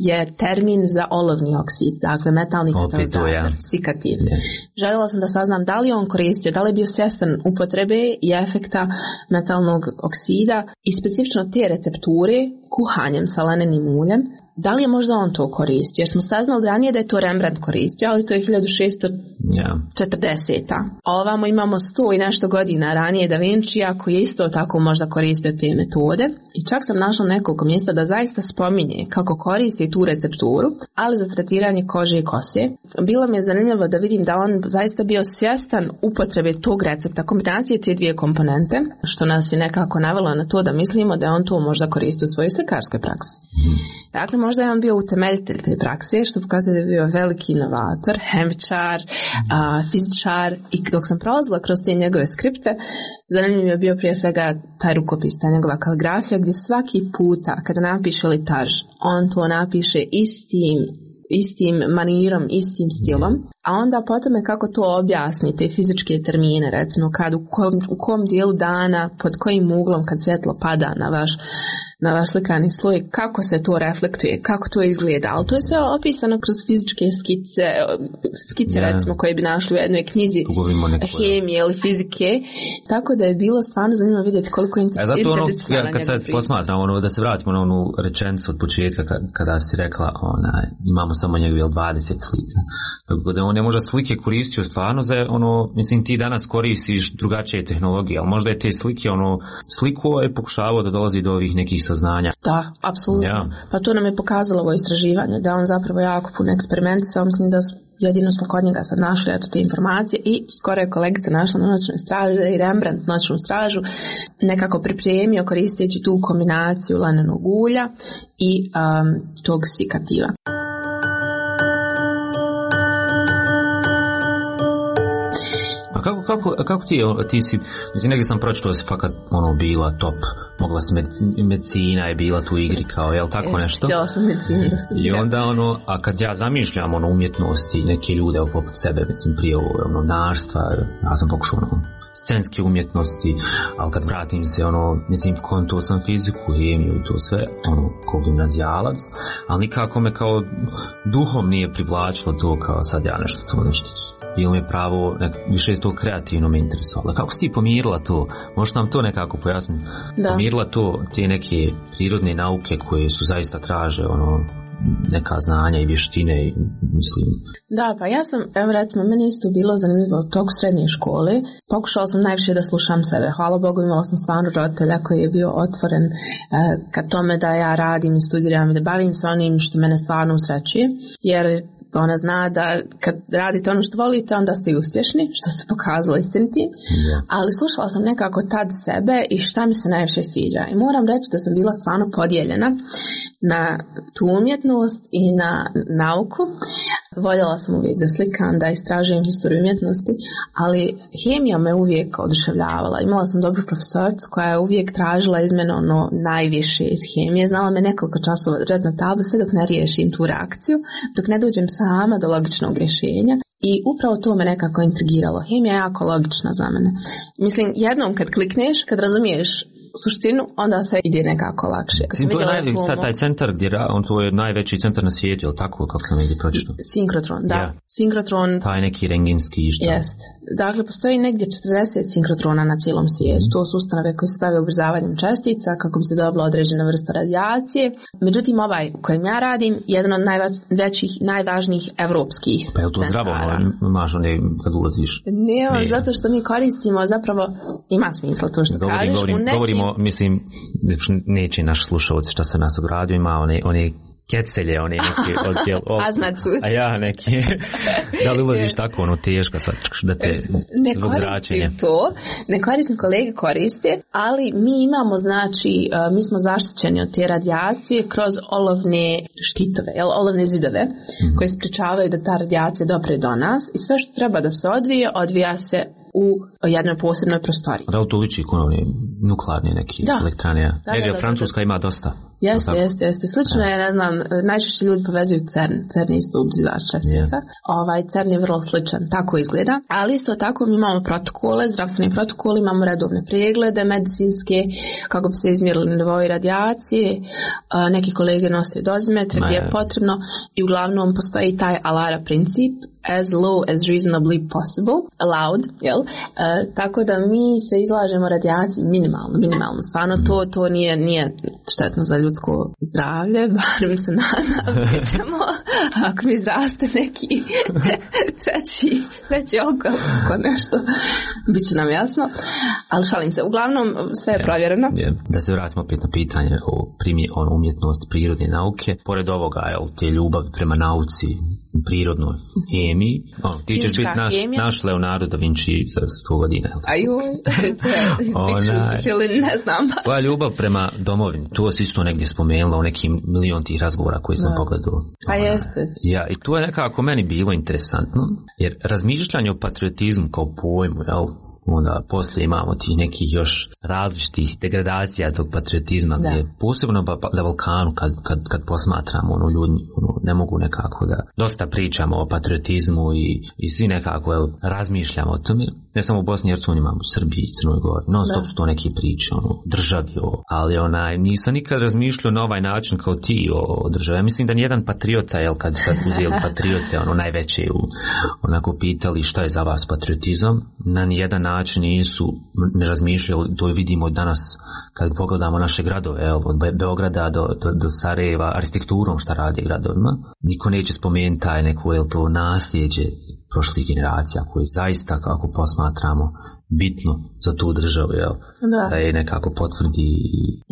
je termin za olovni oksid, dakle metalni katalizator, ja. sikativ. Yeah. Željela sam da saznam da li on koristio, da li je bio svjestan upotrebe i efekta metalnog oksida i specifično te recepture kuhanjem sa lanenim uljem. Da li je možda on to koristio? Jer smo saznali ranije da je to Rembrandt koristio, ali to je hiljadu šessto četrdeseta. A ovamo imamo sto i nešto godina ranije Da Vincija koji je isto tako možda koristio te metode. I čak sam našla nekoliko mjesta da zaista spominje kako koristi tu recepturu, ali za tretiranje kože i kose. Bilo mi je zanimljivo da vidim da on zaista bio svjestan upotrebe tog recepta, kombinacije te dvije komponente, što nas je nekako navelo na to da mislimo da je on to možda koristio u svojoj slikarskoj praksi. Dakle, možda je on bio utemeljitelj te prakse, što pokazuje da je bio veliki inovator, hemičar, a, fizičar i dok sam prolazila kroz te njegove skripte, zanimljiv je bio prije svega taj rukopis, ta njegova kaligrafija gdje svaki puta kada napiše litarž, on to napiše istim istim manirom, istim stilom, a onda potom je kako to objasni, te fizičke termine, recimo kad u kom, u kom dijelu dana, pod kojim uglom kad svjetlo pada na vaš, na vaš slikani sloj, kako se to reflektuje, kako to izgleda, ali to je sve opisano kroz fizičke skice, skice yeah. recimo koje bi našli u jednoj knjizi hemije ili fizike, tako da je bilo stvarno zanimljivo vidjeti koliko je interdisciplinarna njegov pristup. Kad sad posmatram, ono, da se vratimo na onu rečenicu od početka kada si rekla, ona, imamo samo njegovi dvadeset slika. Tako da on je možda slike koristio stvarno za ono, mislim ti danas koristiš drugačije tehnologije, ali možda je te slike ono, sliku je pokušavao da dolazi do ovih nekih saznanja. Da, apsolutno. Ja. Pa to nam je pokazalo ovo istraživanje, da on zapravo jako puno eksperimentisao, mislim da jedino smo kod njega sad našli eto te informacije i skoro je kolegica našla na noćnoj straži i Rembrandt noćnu stražu nekako pripremio koristeći tu kombinaciju lanenog ulja i um, tog sikativa. Kako, kako, kako ti, ti si, mislim, negdje sam pročitao da si fakat ono, bila top, mogla si medicina, medicina je bila tu igri kao, jel tako Jest, nešto? Htjela sam medicinu da sam. I onda ono, a kad ja zamišljam ono umjetnosti, neke ljude poput sebe, mislim, prije ono, narstva, ja sam pokušao ono, scenske umjetnosti, ali kad vratim se ono, mislim, konto sam fiziku, hemiju i to sve, ono, kao gimnazijalac, ali nikako me kao duhom nije privlačilo to kao sad ja nešto to nešto. Bilo mi je pravo, nek, više je to kreativno me interesovalo. Kako si ti pomirila to? Možeš nam to nekako pojasniti? Da. Pomirila to, te neke prirodne nauke koje su zaista traže ono, neka znanja i vještine, mislim. Da, pa ja sam, evo recimo, meni isto bilo zanimljivo u toku srednje škole. Pokušala sam najviše da slušam sebe. Hvala Bogu, imala sam stvarno roditelja koji je bio otvoren eh, ka tome da ja radim i studiram i da bavim se onim što mene stvarno usrećuje. Jer ona zna da kad radite ono što volite, onda ste i uspješni, što se pokazalo istinitim. Yeah. Ali slušala sam nekako tad sebe i šta mi se najviše sviđa. I moram reći da sam bila stvarno podijeljena na tu umjetnost i na nauku. Voljela sam uvijek da slikam, da istražujem historiju umjetnosti, ali hemija me uvijek oduševljavala. Imala sam dobru profesoricu koja je uvijek tražila iz mene ono najviše iz hemije. Znala me nekoliko časova držati na tablu sve dok ne riješim tu reakciju, dok ne dođem sama do logičnog rješenja. I upravo to me nekako intrigiralo. Hemija je jako logična za mene. Mislim, jednom kad klikneš, kad razumiješ suštinu, onda sve ide nekako lakše. Mislim, to je naj, sad, taj centar gdje on to je najveći centar na svijetu, je li tako, kako sam negdje pročitao? Sinkrotron, da. Yeah. Sinkrotron. Taj neki rengenski što? Jest. Dakle, postoji negdje četrdeset sinkrotrona na cijelom svijetu. Mm. To su ustanove koje se bave ubrzavanjem čestica kako bi se dobila određena vrsta radijacije. Međutim, ovaj u kojem ja radim je jedan od najvećih, najvažnijih evropskih centara. Pa je to zdravo, imaš one kad ulaziš? Ne, ne, zato što mi koristimo zapravo, ima smisla to što govorim, kažeš. Govorim, nekim... govorimo, mislim, neće naš slušalac šta se nas ogradio, ima one, one kecelje, one neke odjel, Azmacut. A ja neki, da li ulaziš tako ono teško, sad, da te ne koristim to, ne koristim, kolege koriste, ali mi imamo, znači, mi smo zaštićeni od te radijacije kroz olovne štitove, jel, olovne zidove, mm. koje sprečavaju da ta radijacija dopre do nas i sve što treba da se odvije, odvija se u jednoj posebnoj prostoriji. Da li to liči kod one nuklearne neke da. elektrane? Da, da, Jer da, Francuska da, da. ima dosta. Jeste, jeste, jeste. Slično je, ne znam, najčešće ljudi povezuju CERN. CERN je isto ubzivač čestica. Yeah. Ovaj, CERN je vrlo sličan, tako izgleda. Ali isto tako mi imamo protokole, zdravstveni protokol, imamo redovne preglede medicinske, kako bi se izmjerili nivoi radijacije. Neki kolege nose dozimetre gdje je potrebno i uglavnom postoji taj alara princip, as low as reasonably possible, allowed, jel? E, tako da mi se izlažemo radijaciji minimalno, minimalno. Stvarno to, to nije, nije štetno za ljudsko zdravlje, barem se nadam, ćemo, ako mi izraste neki treći, treći oko, oko nešto, bit će nam jasno. Ali šalim se, uglavnom sve je provjereno. Da se vratimo opet na pitanje o primje, o umjetnosti prirodne nauke. Pored ovoga, jel, te ljubavi prema nauci, prirodnoj hemiji, ono, ti ćeš biti naš, naš Leonardo da Vinci za sto godina. Ajoj, ne znam. Tvoja ljubav prema domovini, to si isto negdje spomenula u nekim milion tih razgovora koji sam pogledao. Pa jeste. Ja, i to je nekako meni bilo interesantno, jer razmišljanje o patriotizmu kao pojmu, jel, onda poslije imamo tih nekih još različitih degradacija tog patriotizma, gdje je posebno na Balkanu kad, kad, kad posmatramo, ono, ljudi ono, ne mogu nekako da dosta pričamo o patriotizmu i, i svi nekako jel, razmišljamo o tome, ne samo u Bosni i Hercegovini, imamo u Srbiji i Crnoj Gori, non stop su to neke priče, ono, državi, o, ali onaj, nisam nikad razmišljao na ovaj način kao ti o, o državi. Ja mislim da nijedan patriota, jel, kad sad uzeli patriote, ono, najveće, u, onako pitali šta je za vas patriotizam, na nijedan način nisu ne razmišljali, to vidimo danas kad pogledamo naše gradove, jel, od Beograda do, do, do Sarajeva, arhitekturom šta radi gradovima, niko neće spomenuti taj neko, jel, to nasljeđe prošlih generacija koje zaista, kako posmatramo, bitno za tu državu, jel? Da. Da je nekako potvrdi.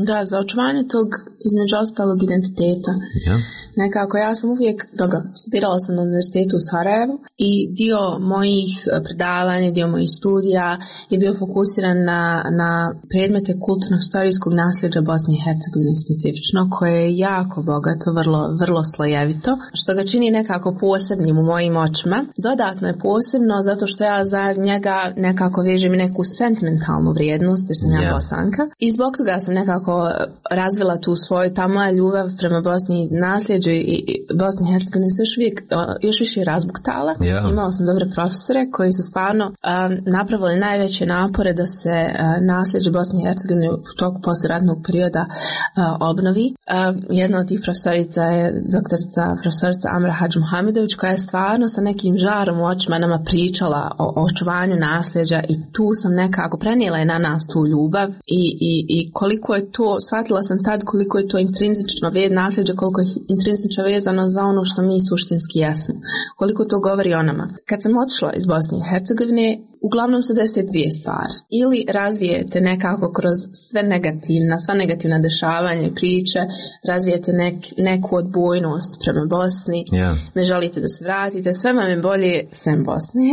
Da, za očuvanje tog između ostalog identiteta. Ja. Nekako ja sam uvijek, dobro, studirala sam na univerzitetu u Sarajevu i dio mojih predavanja, dio mojih studija je bio fokusiran na, na predmete kulturno-historijskog nasljeđa Bosne i Hercegovine specifično, koje je jako bogato, vrlo, vrlo slojevito, što ga čini nekako posebnim u mojim očima. Dodatno je posebno zato što ja za njega nekako vežem i neku sentimentalnu vrijednost, jer sam ja yeah. Bosanka. I zbog toga sam nekako razvila tu svoju, ta moja ljubav prema Bosni i nasljeđu i Bosni i Hercegovine se još, uvijek, još više razbuktala. Yeah. Imala sam dobre profesore koji su stvarno um, napravili najveće napore da se uh, nasljeđe Bosne i Hercegovine u toku poslijeratnog perioda uh, obnovi. Uh, jedna od tih profesorica je doktorica, profesorica Amra Hadž Muhamedović, koja je stvarno sa nekim žarom u očima nama pričala o, o očuvanju nasljeđa i tu sam nekako prenijela je na nas tu ljubav i, i, i koliko je to, shvatila sam tad koliko je to intrinzično ved nasljeđe, koliko je intrinzično vezano za ono što mi suštinski jesmo. Koliko to govori o nama. Kad sam otišla iz Bosne i Hercegovine, uglavnom se desi dvije stvari. Ili razvijete nekako kroz sve negativna, sva negativna dešavanja i priče, razvijete nek, neku odbojnost prema Bosni, yeah. ne želite da se vratite, sve vam je bolje sem Bosne.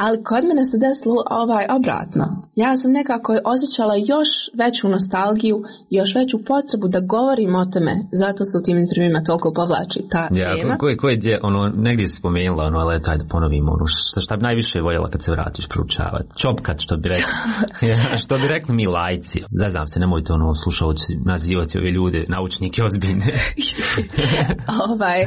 Ali kod mene se desilo ovaj obratno. Ja sam nekako osjećala još veću nostalgiju, još veću potrebu da govorim o tome, zato se u tim intervjuima toliko povlači ta yeah, tema. Koji ko je, ono, negdje si spomenula, ono, ali taj da ponovimo, ono, šta, šta bi najviše voljela kad se vratiš proučavati? Čopkat, što bi rekli. Ja, što bi rekli mi lajci. Zaznam se, nemojte ono slušalci nazivati ove ljude, naučnike ozbiljne. ovaj,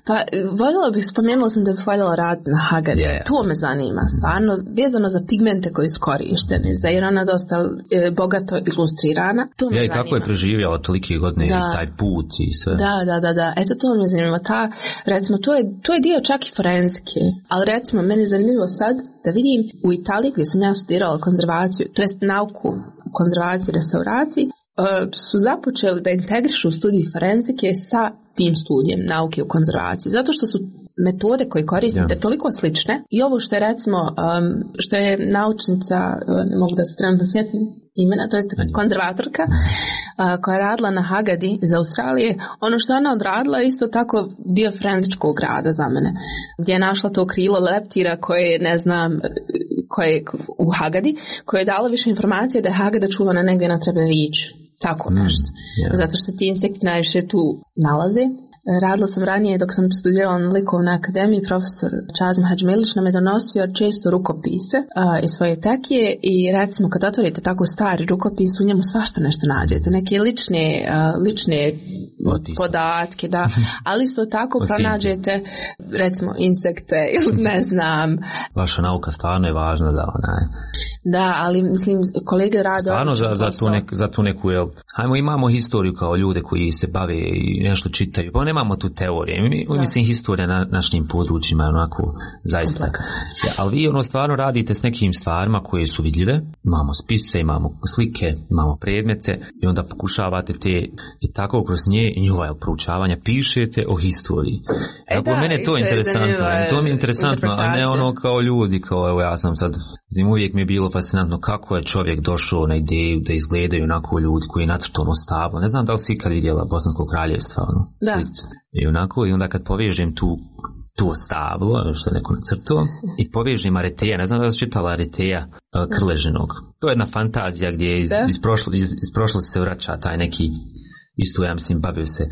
pa voljela bih, spomenula sam da bih voljela raditi na Hagard. Yeah. To me zanima, stvarno, vezano za pigmente koji su korišteni, za jer ona dosta e, bogato ilustrirana. To me ja, zanima. I kako je preživjela tolike godine i taj put i sve. Da, da, da, da. Eto, to me zanima. Ta, recimo, to je, to je dio čak i forenzike, ali recimo, meni je zanimljivo sad da vidim u Italiji gdje sam ja studirala konzervaciju, to jest nauku konzervaciji i restauraciji, su započeli da integrišu studij forenzike sa tim studijem nauke u konzervaciji. Zato što su metode koje koristite yeah. toliko slične i ovo što je recimo, um, što je naučnica, ne mogu da se trenutno sjetim imena, to jest konzervatorka a, koja je radila na Hagadi iz Australije. Ono što ona odradila je isto tako dio forenzičkog rada za mene, gdje je našla to krilo leptira koje, ne znam, koje je u Hagadi, koje je dalo više informacije da je Hagada čuvana negdje na Trebeviću. Tako nešto. Mm, yeah. Zato što ti insekti najviše tu nalaze. Radila sam ranije dok sam studirala na likovnoj akademiji, profesor Čazim Hadžmilić nam je donosio često rukopise uh, iz svoje tekije i recimo kad otvorite tako stari rukopis u njemu svašta nešto nađete, neke lične, uh, lične podatke, da, ali isto tako pronađete recimo insekte ili ne znam. Vaša nauka stvarno je važna da ona je. Da, ali mislim kolege rade stvarno za, za, tu nek, za tu neku, jel, hajmo imamo historiju kao ljude koji se bave i nešto čitaju, pa nemamo tu teorije. Mi, mislim, historija na našim područjima je onako zaista. Ja, ali vi ono stvarno radite s nekim stvarima koje su vidljive. Imamo spise, imamo slike, imamo predmete i onda pokušavate te i tako kroz nje i njihova proučavanja pišete o historiji. E, da, mene je to interesantno. To mi je interesantno, a ne ono kao ljudi, kao evo ja sam sad, zim uvijek mi je bilo fascinantno kako je čovjek došao na ideju da izgledaju onako ljudi koji je nacrtao ono stablo. Ne znam da li si ikad vidjela Bosansko kraljevstvo, ono, da. Slično. I onako, i onda kad povežem tu to stablo, što je neko nacrtao, i povežem Areteja, ne znam da si čitala Areteja Krležinog. To je jedna fantazija gdje iz, iz, prošlo, iz, iz prošlosti se vraća taj neki, isto ja mislim bavio se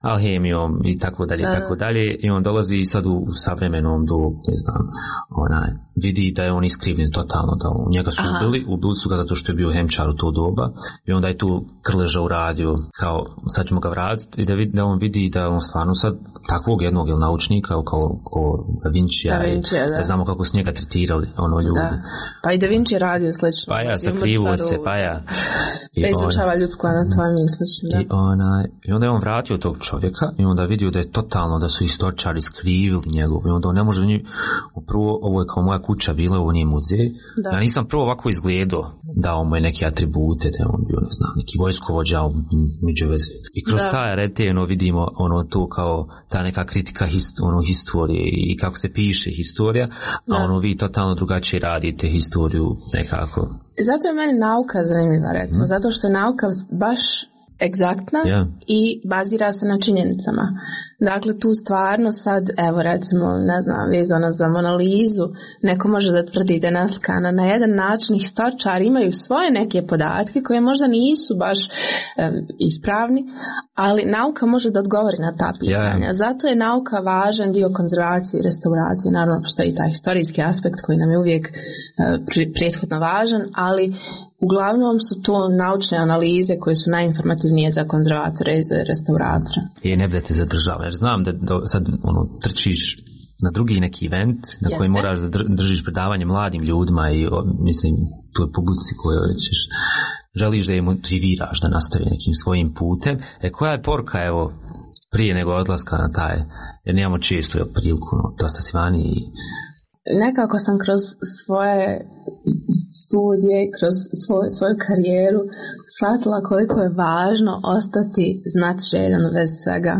alhemijom i tako dalje i tako dalje, i on dolazi sad u, u savremenom dobu, ne znam, onaj, vidi da je on iskrivljen totalno, da u njega su Aha. ubili, ubili su ga zato što je bio hemčar u to doba i onda je tu Krleža uradio kao sad ćemo ga vratiti i da, vid, da on vidi da on stvarno sad takvog jednog ili naučnika kao, kao Da Vincija, da Vinci, da. Da znamo kako su njega tretirali ono ljudi. Da. Pa i Da Vinci je radio slično. Pa ja, sakrivo se, pa ja. Da izučava ljudsku anatomiju slično, da. I, ona, I onda je on vratio tog čovjeka i onda vidio da je totalno, da su istoričari skrivili njegov i onda on ne može njih, prvo ovo je kao moja kuća bila, ovo nije muzej. Da. Ja nisam prvo ovako izgledao, dao mu je neke atribute, da je on bio, ne znam, neki vojskovođa među veze. I kroz da. taj Areteno vidimo ono to kao ta neka kritika hist, ono, historije i kako se piše historija, da. A ono vi totalno drugačije radite historiju nekako. Zato je meni nauka zanimljiva, recimo, mm. zato što je nauka baš egzaktna yeah. i bazira se na činjenicama. Dakle, tu stvarno sad, evo recimo, ne znam, vezano za Mona Lizu, neko može da tvrdi da je naslikana na jedan način, historičari imaju svoje neke podatke koje možda nisu baš um, ispravni, ali nauka može da odgovori na ta pitanja. Yeah. Zato je nauka važan dio konzervacije i restauracije. Naravno, postoji taj historijski aspekt koji nam je uvijek uh, prethodno važan, ali uglavnom su to naučne analize koje su najinformativnije za konzervatore i za restauratore. I ne budete zadržava, jer znam da, da sad ono, trčiš na drugi neki event na Jeste. Koji moraš da držiš predavanje mladim ljudima i o, mislim, tu je publici kojoj ćeš, želiš da je motiviraš da nastavi nekim svojim putem. E koja je poruka, evo, prije nego odlaska na taj, jer nemamo često je priliku, no, dosta si vani i nekako sam kroz svoje studije, kroz svoj, svoju karijeru shvatila koliko je važno ostati znatiželjan u vezi svega.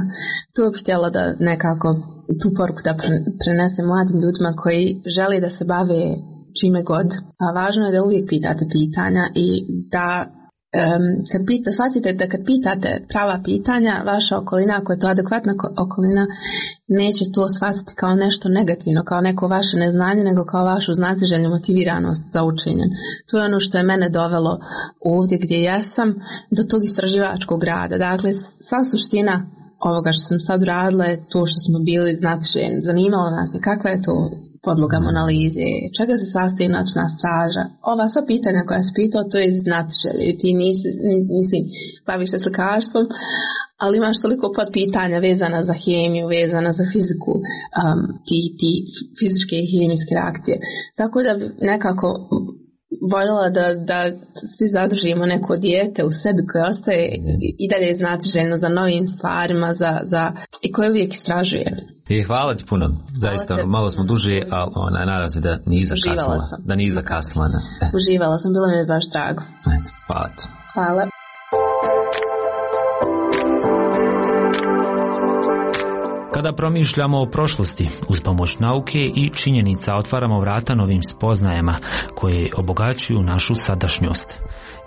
Tu bih htjela da nekako tu poruku da prenesem mladim ljudima koji žele da se bave čime god. A važno je da uvijek pitate pitanja i da Um, kad pita, shvatite da kad pitate prava pitanja, vaša okolina, ako je to adekvatna okolina, neće to shvatiti kao nešto negativno, kao neko vaše neznanje, nego kao vašu znatiželjnu motiviranost za učenjem. To je ono što je mene dovelo ovdje gdje jesam, do tog istraživačkog rada. Dakle, sva suština ovoga što sam sad uradila je to što smo bili znatiželjni. Zanimalo nas je kakva je to podloga Mona Lize, čega se sastoji noćna straža. Ova sva pitanja koja se pitao, to je znatiželje. Ti nisi, nisi baviš se slikarstvom, ali imaš toliko podpitanja vezana za hemiju, vezana za fiziku, um, ti, ti fizičke i hemijske reakcije. Tako da bi nekako voljela da, da svi zadržimo neko dijete u sebi koje ostaje i dalje znatiželjno za novim stvarima, za, za, i koje uvijek istražuje. I hvala ti puno, zaista te, malo smo duže, ali ona, nadam se da nisi zakasnila. Da nisi zakasnila. Da. Uživala sam, bilo mi je baš drago. Eto, hvala ti. Hvala. Kada promišljamo o prošlosti, uz pomoć nauke i činjenica otvaramo vrata novim spoznajama koje obogaćuju našu sadašnjost.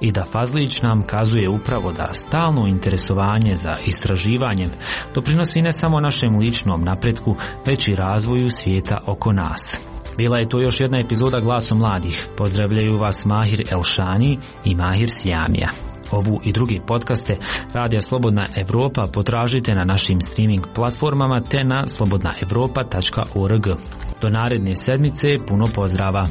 i da Fazlić nam kazuje upravo da stalno interesovanje za istraživanjem doprinosi ne samo našem ličnom napretku, već i razvoju svijeta oko nas. Bila je to još jedna epizoda Glaso mladih. Pozdravljaju vas Mahir Elšani i Mahir Siamija. Ovu i drugi podcaste Radija Slobodna Evropa potražite na našim streaming platformama te na slobodna evropa tačka org. Do naredne sedmice puno pozdrava.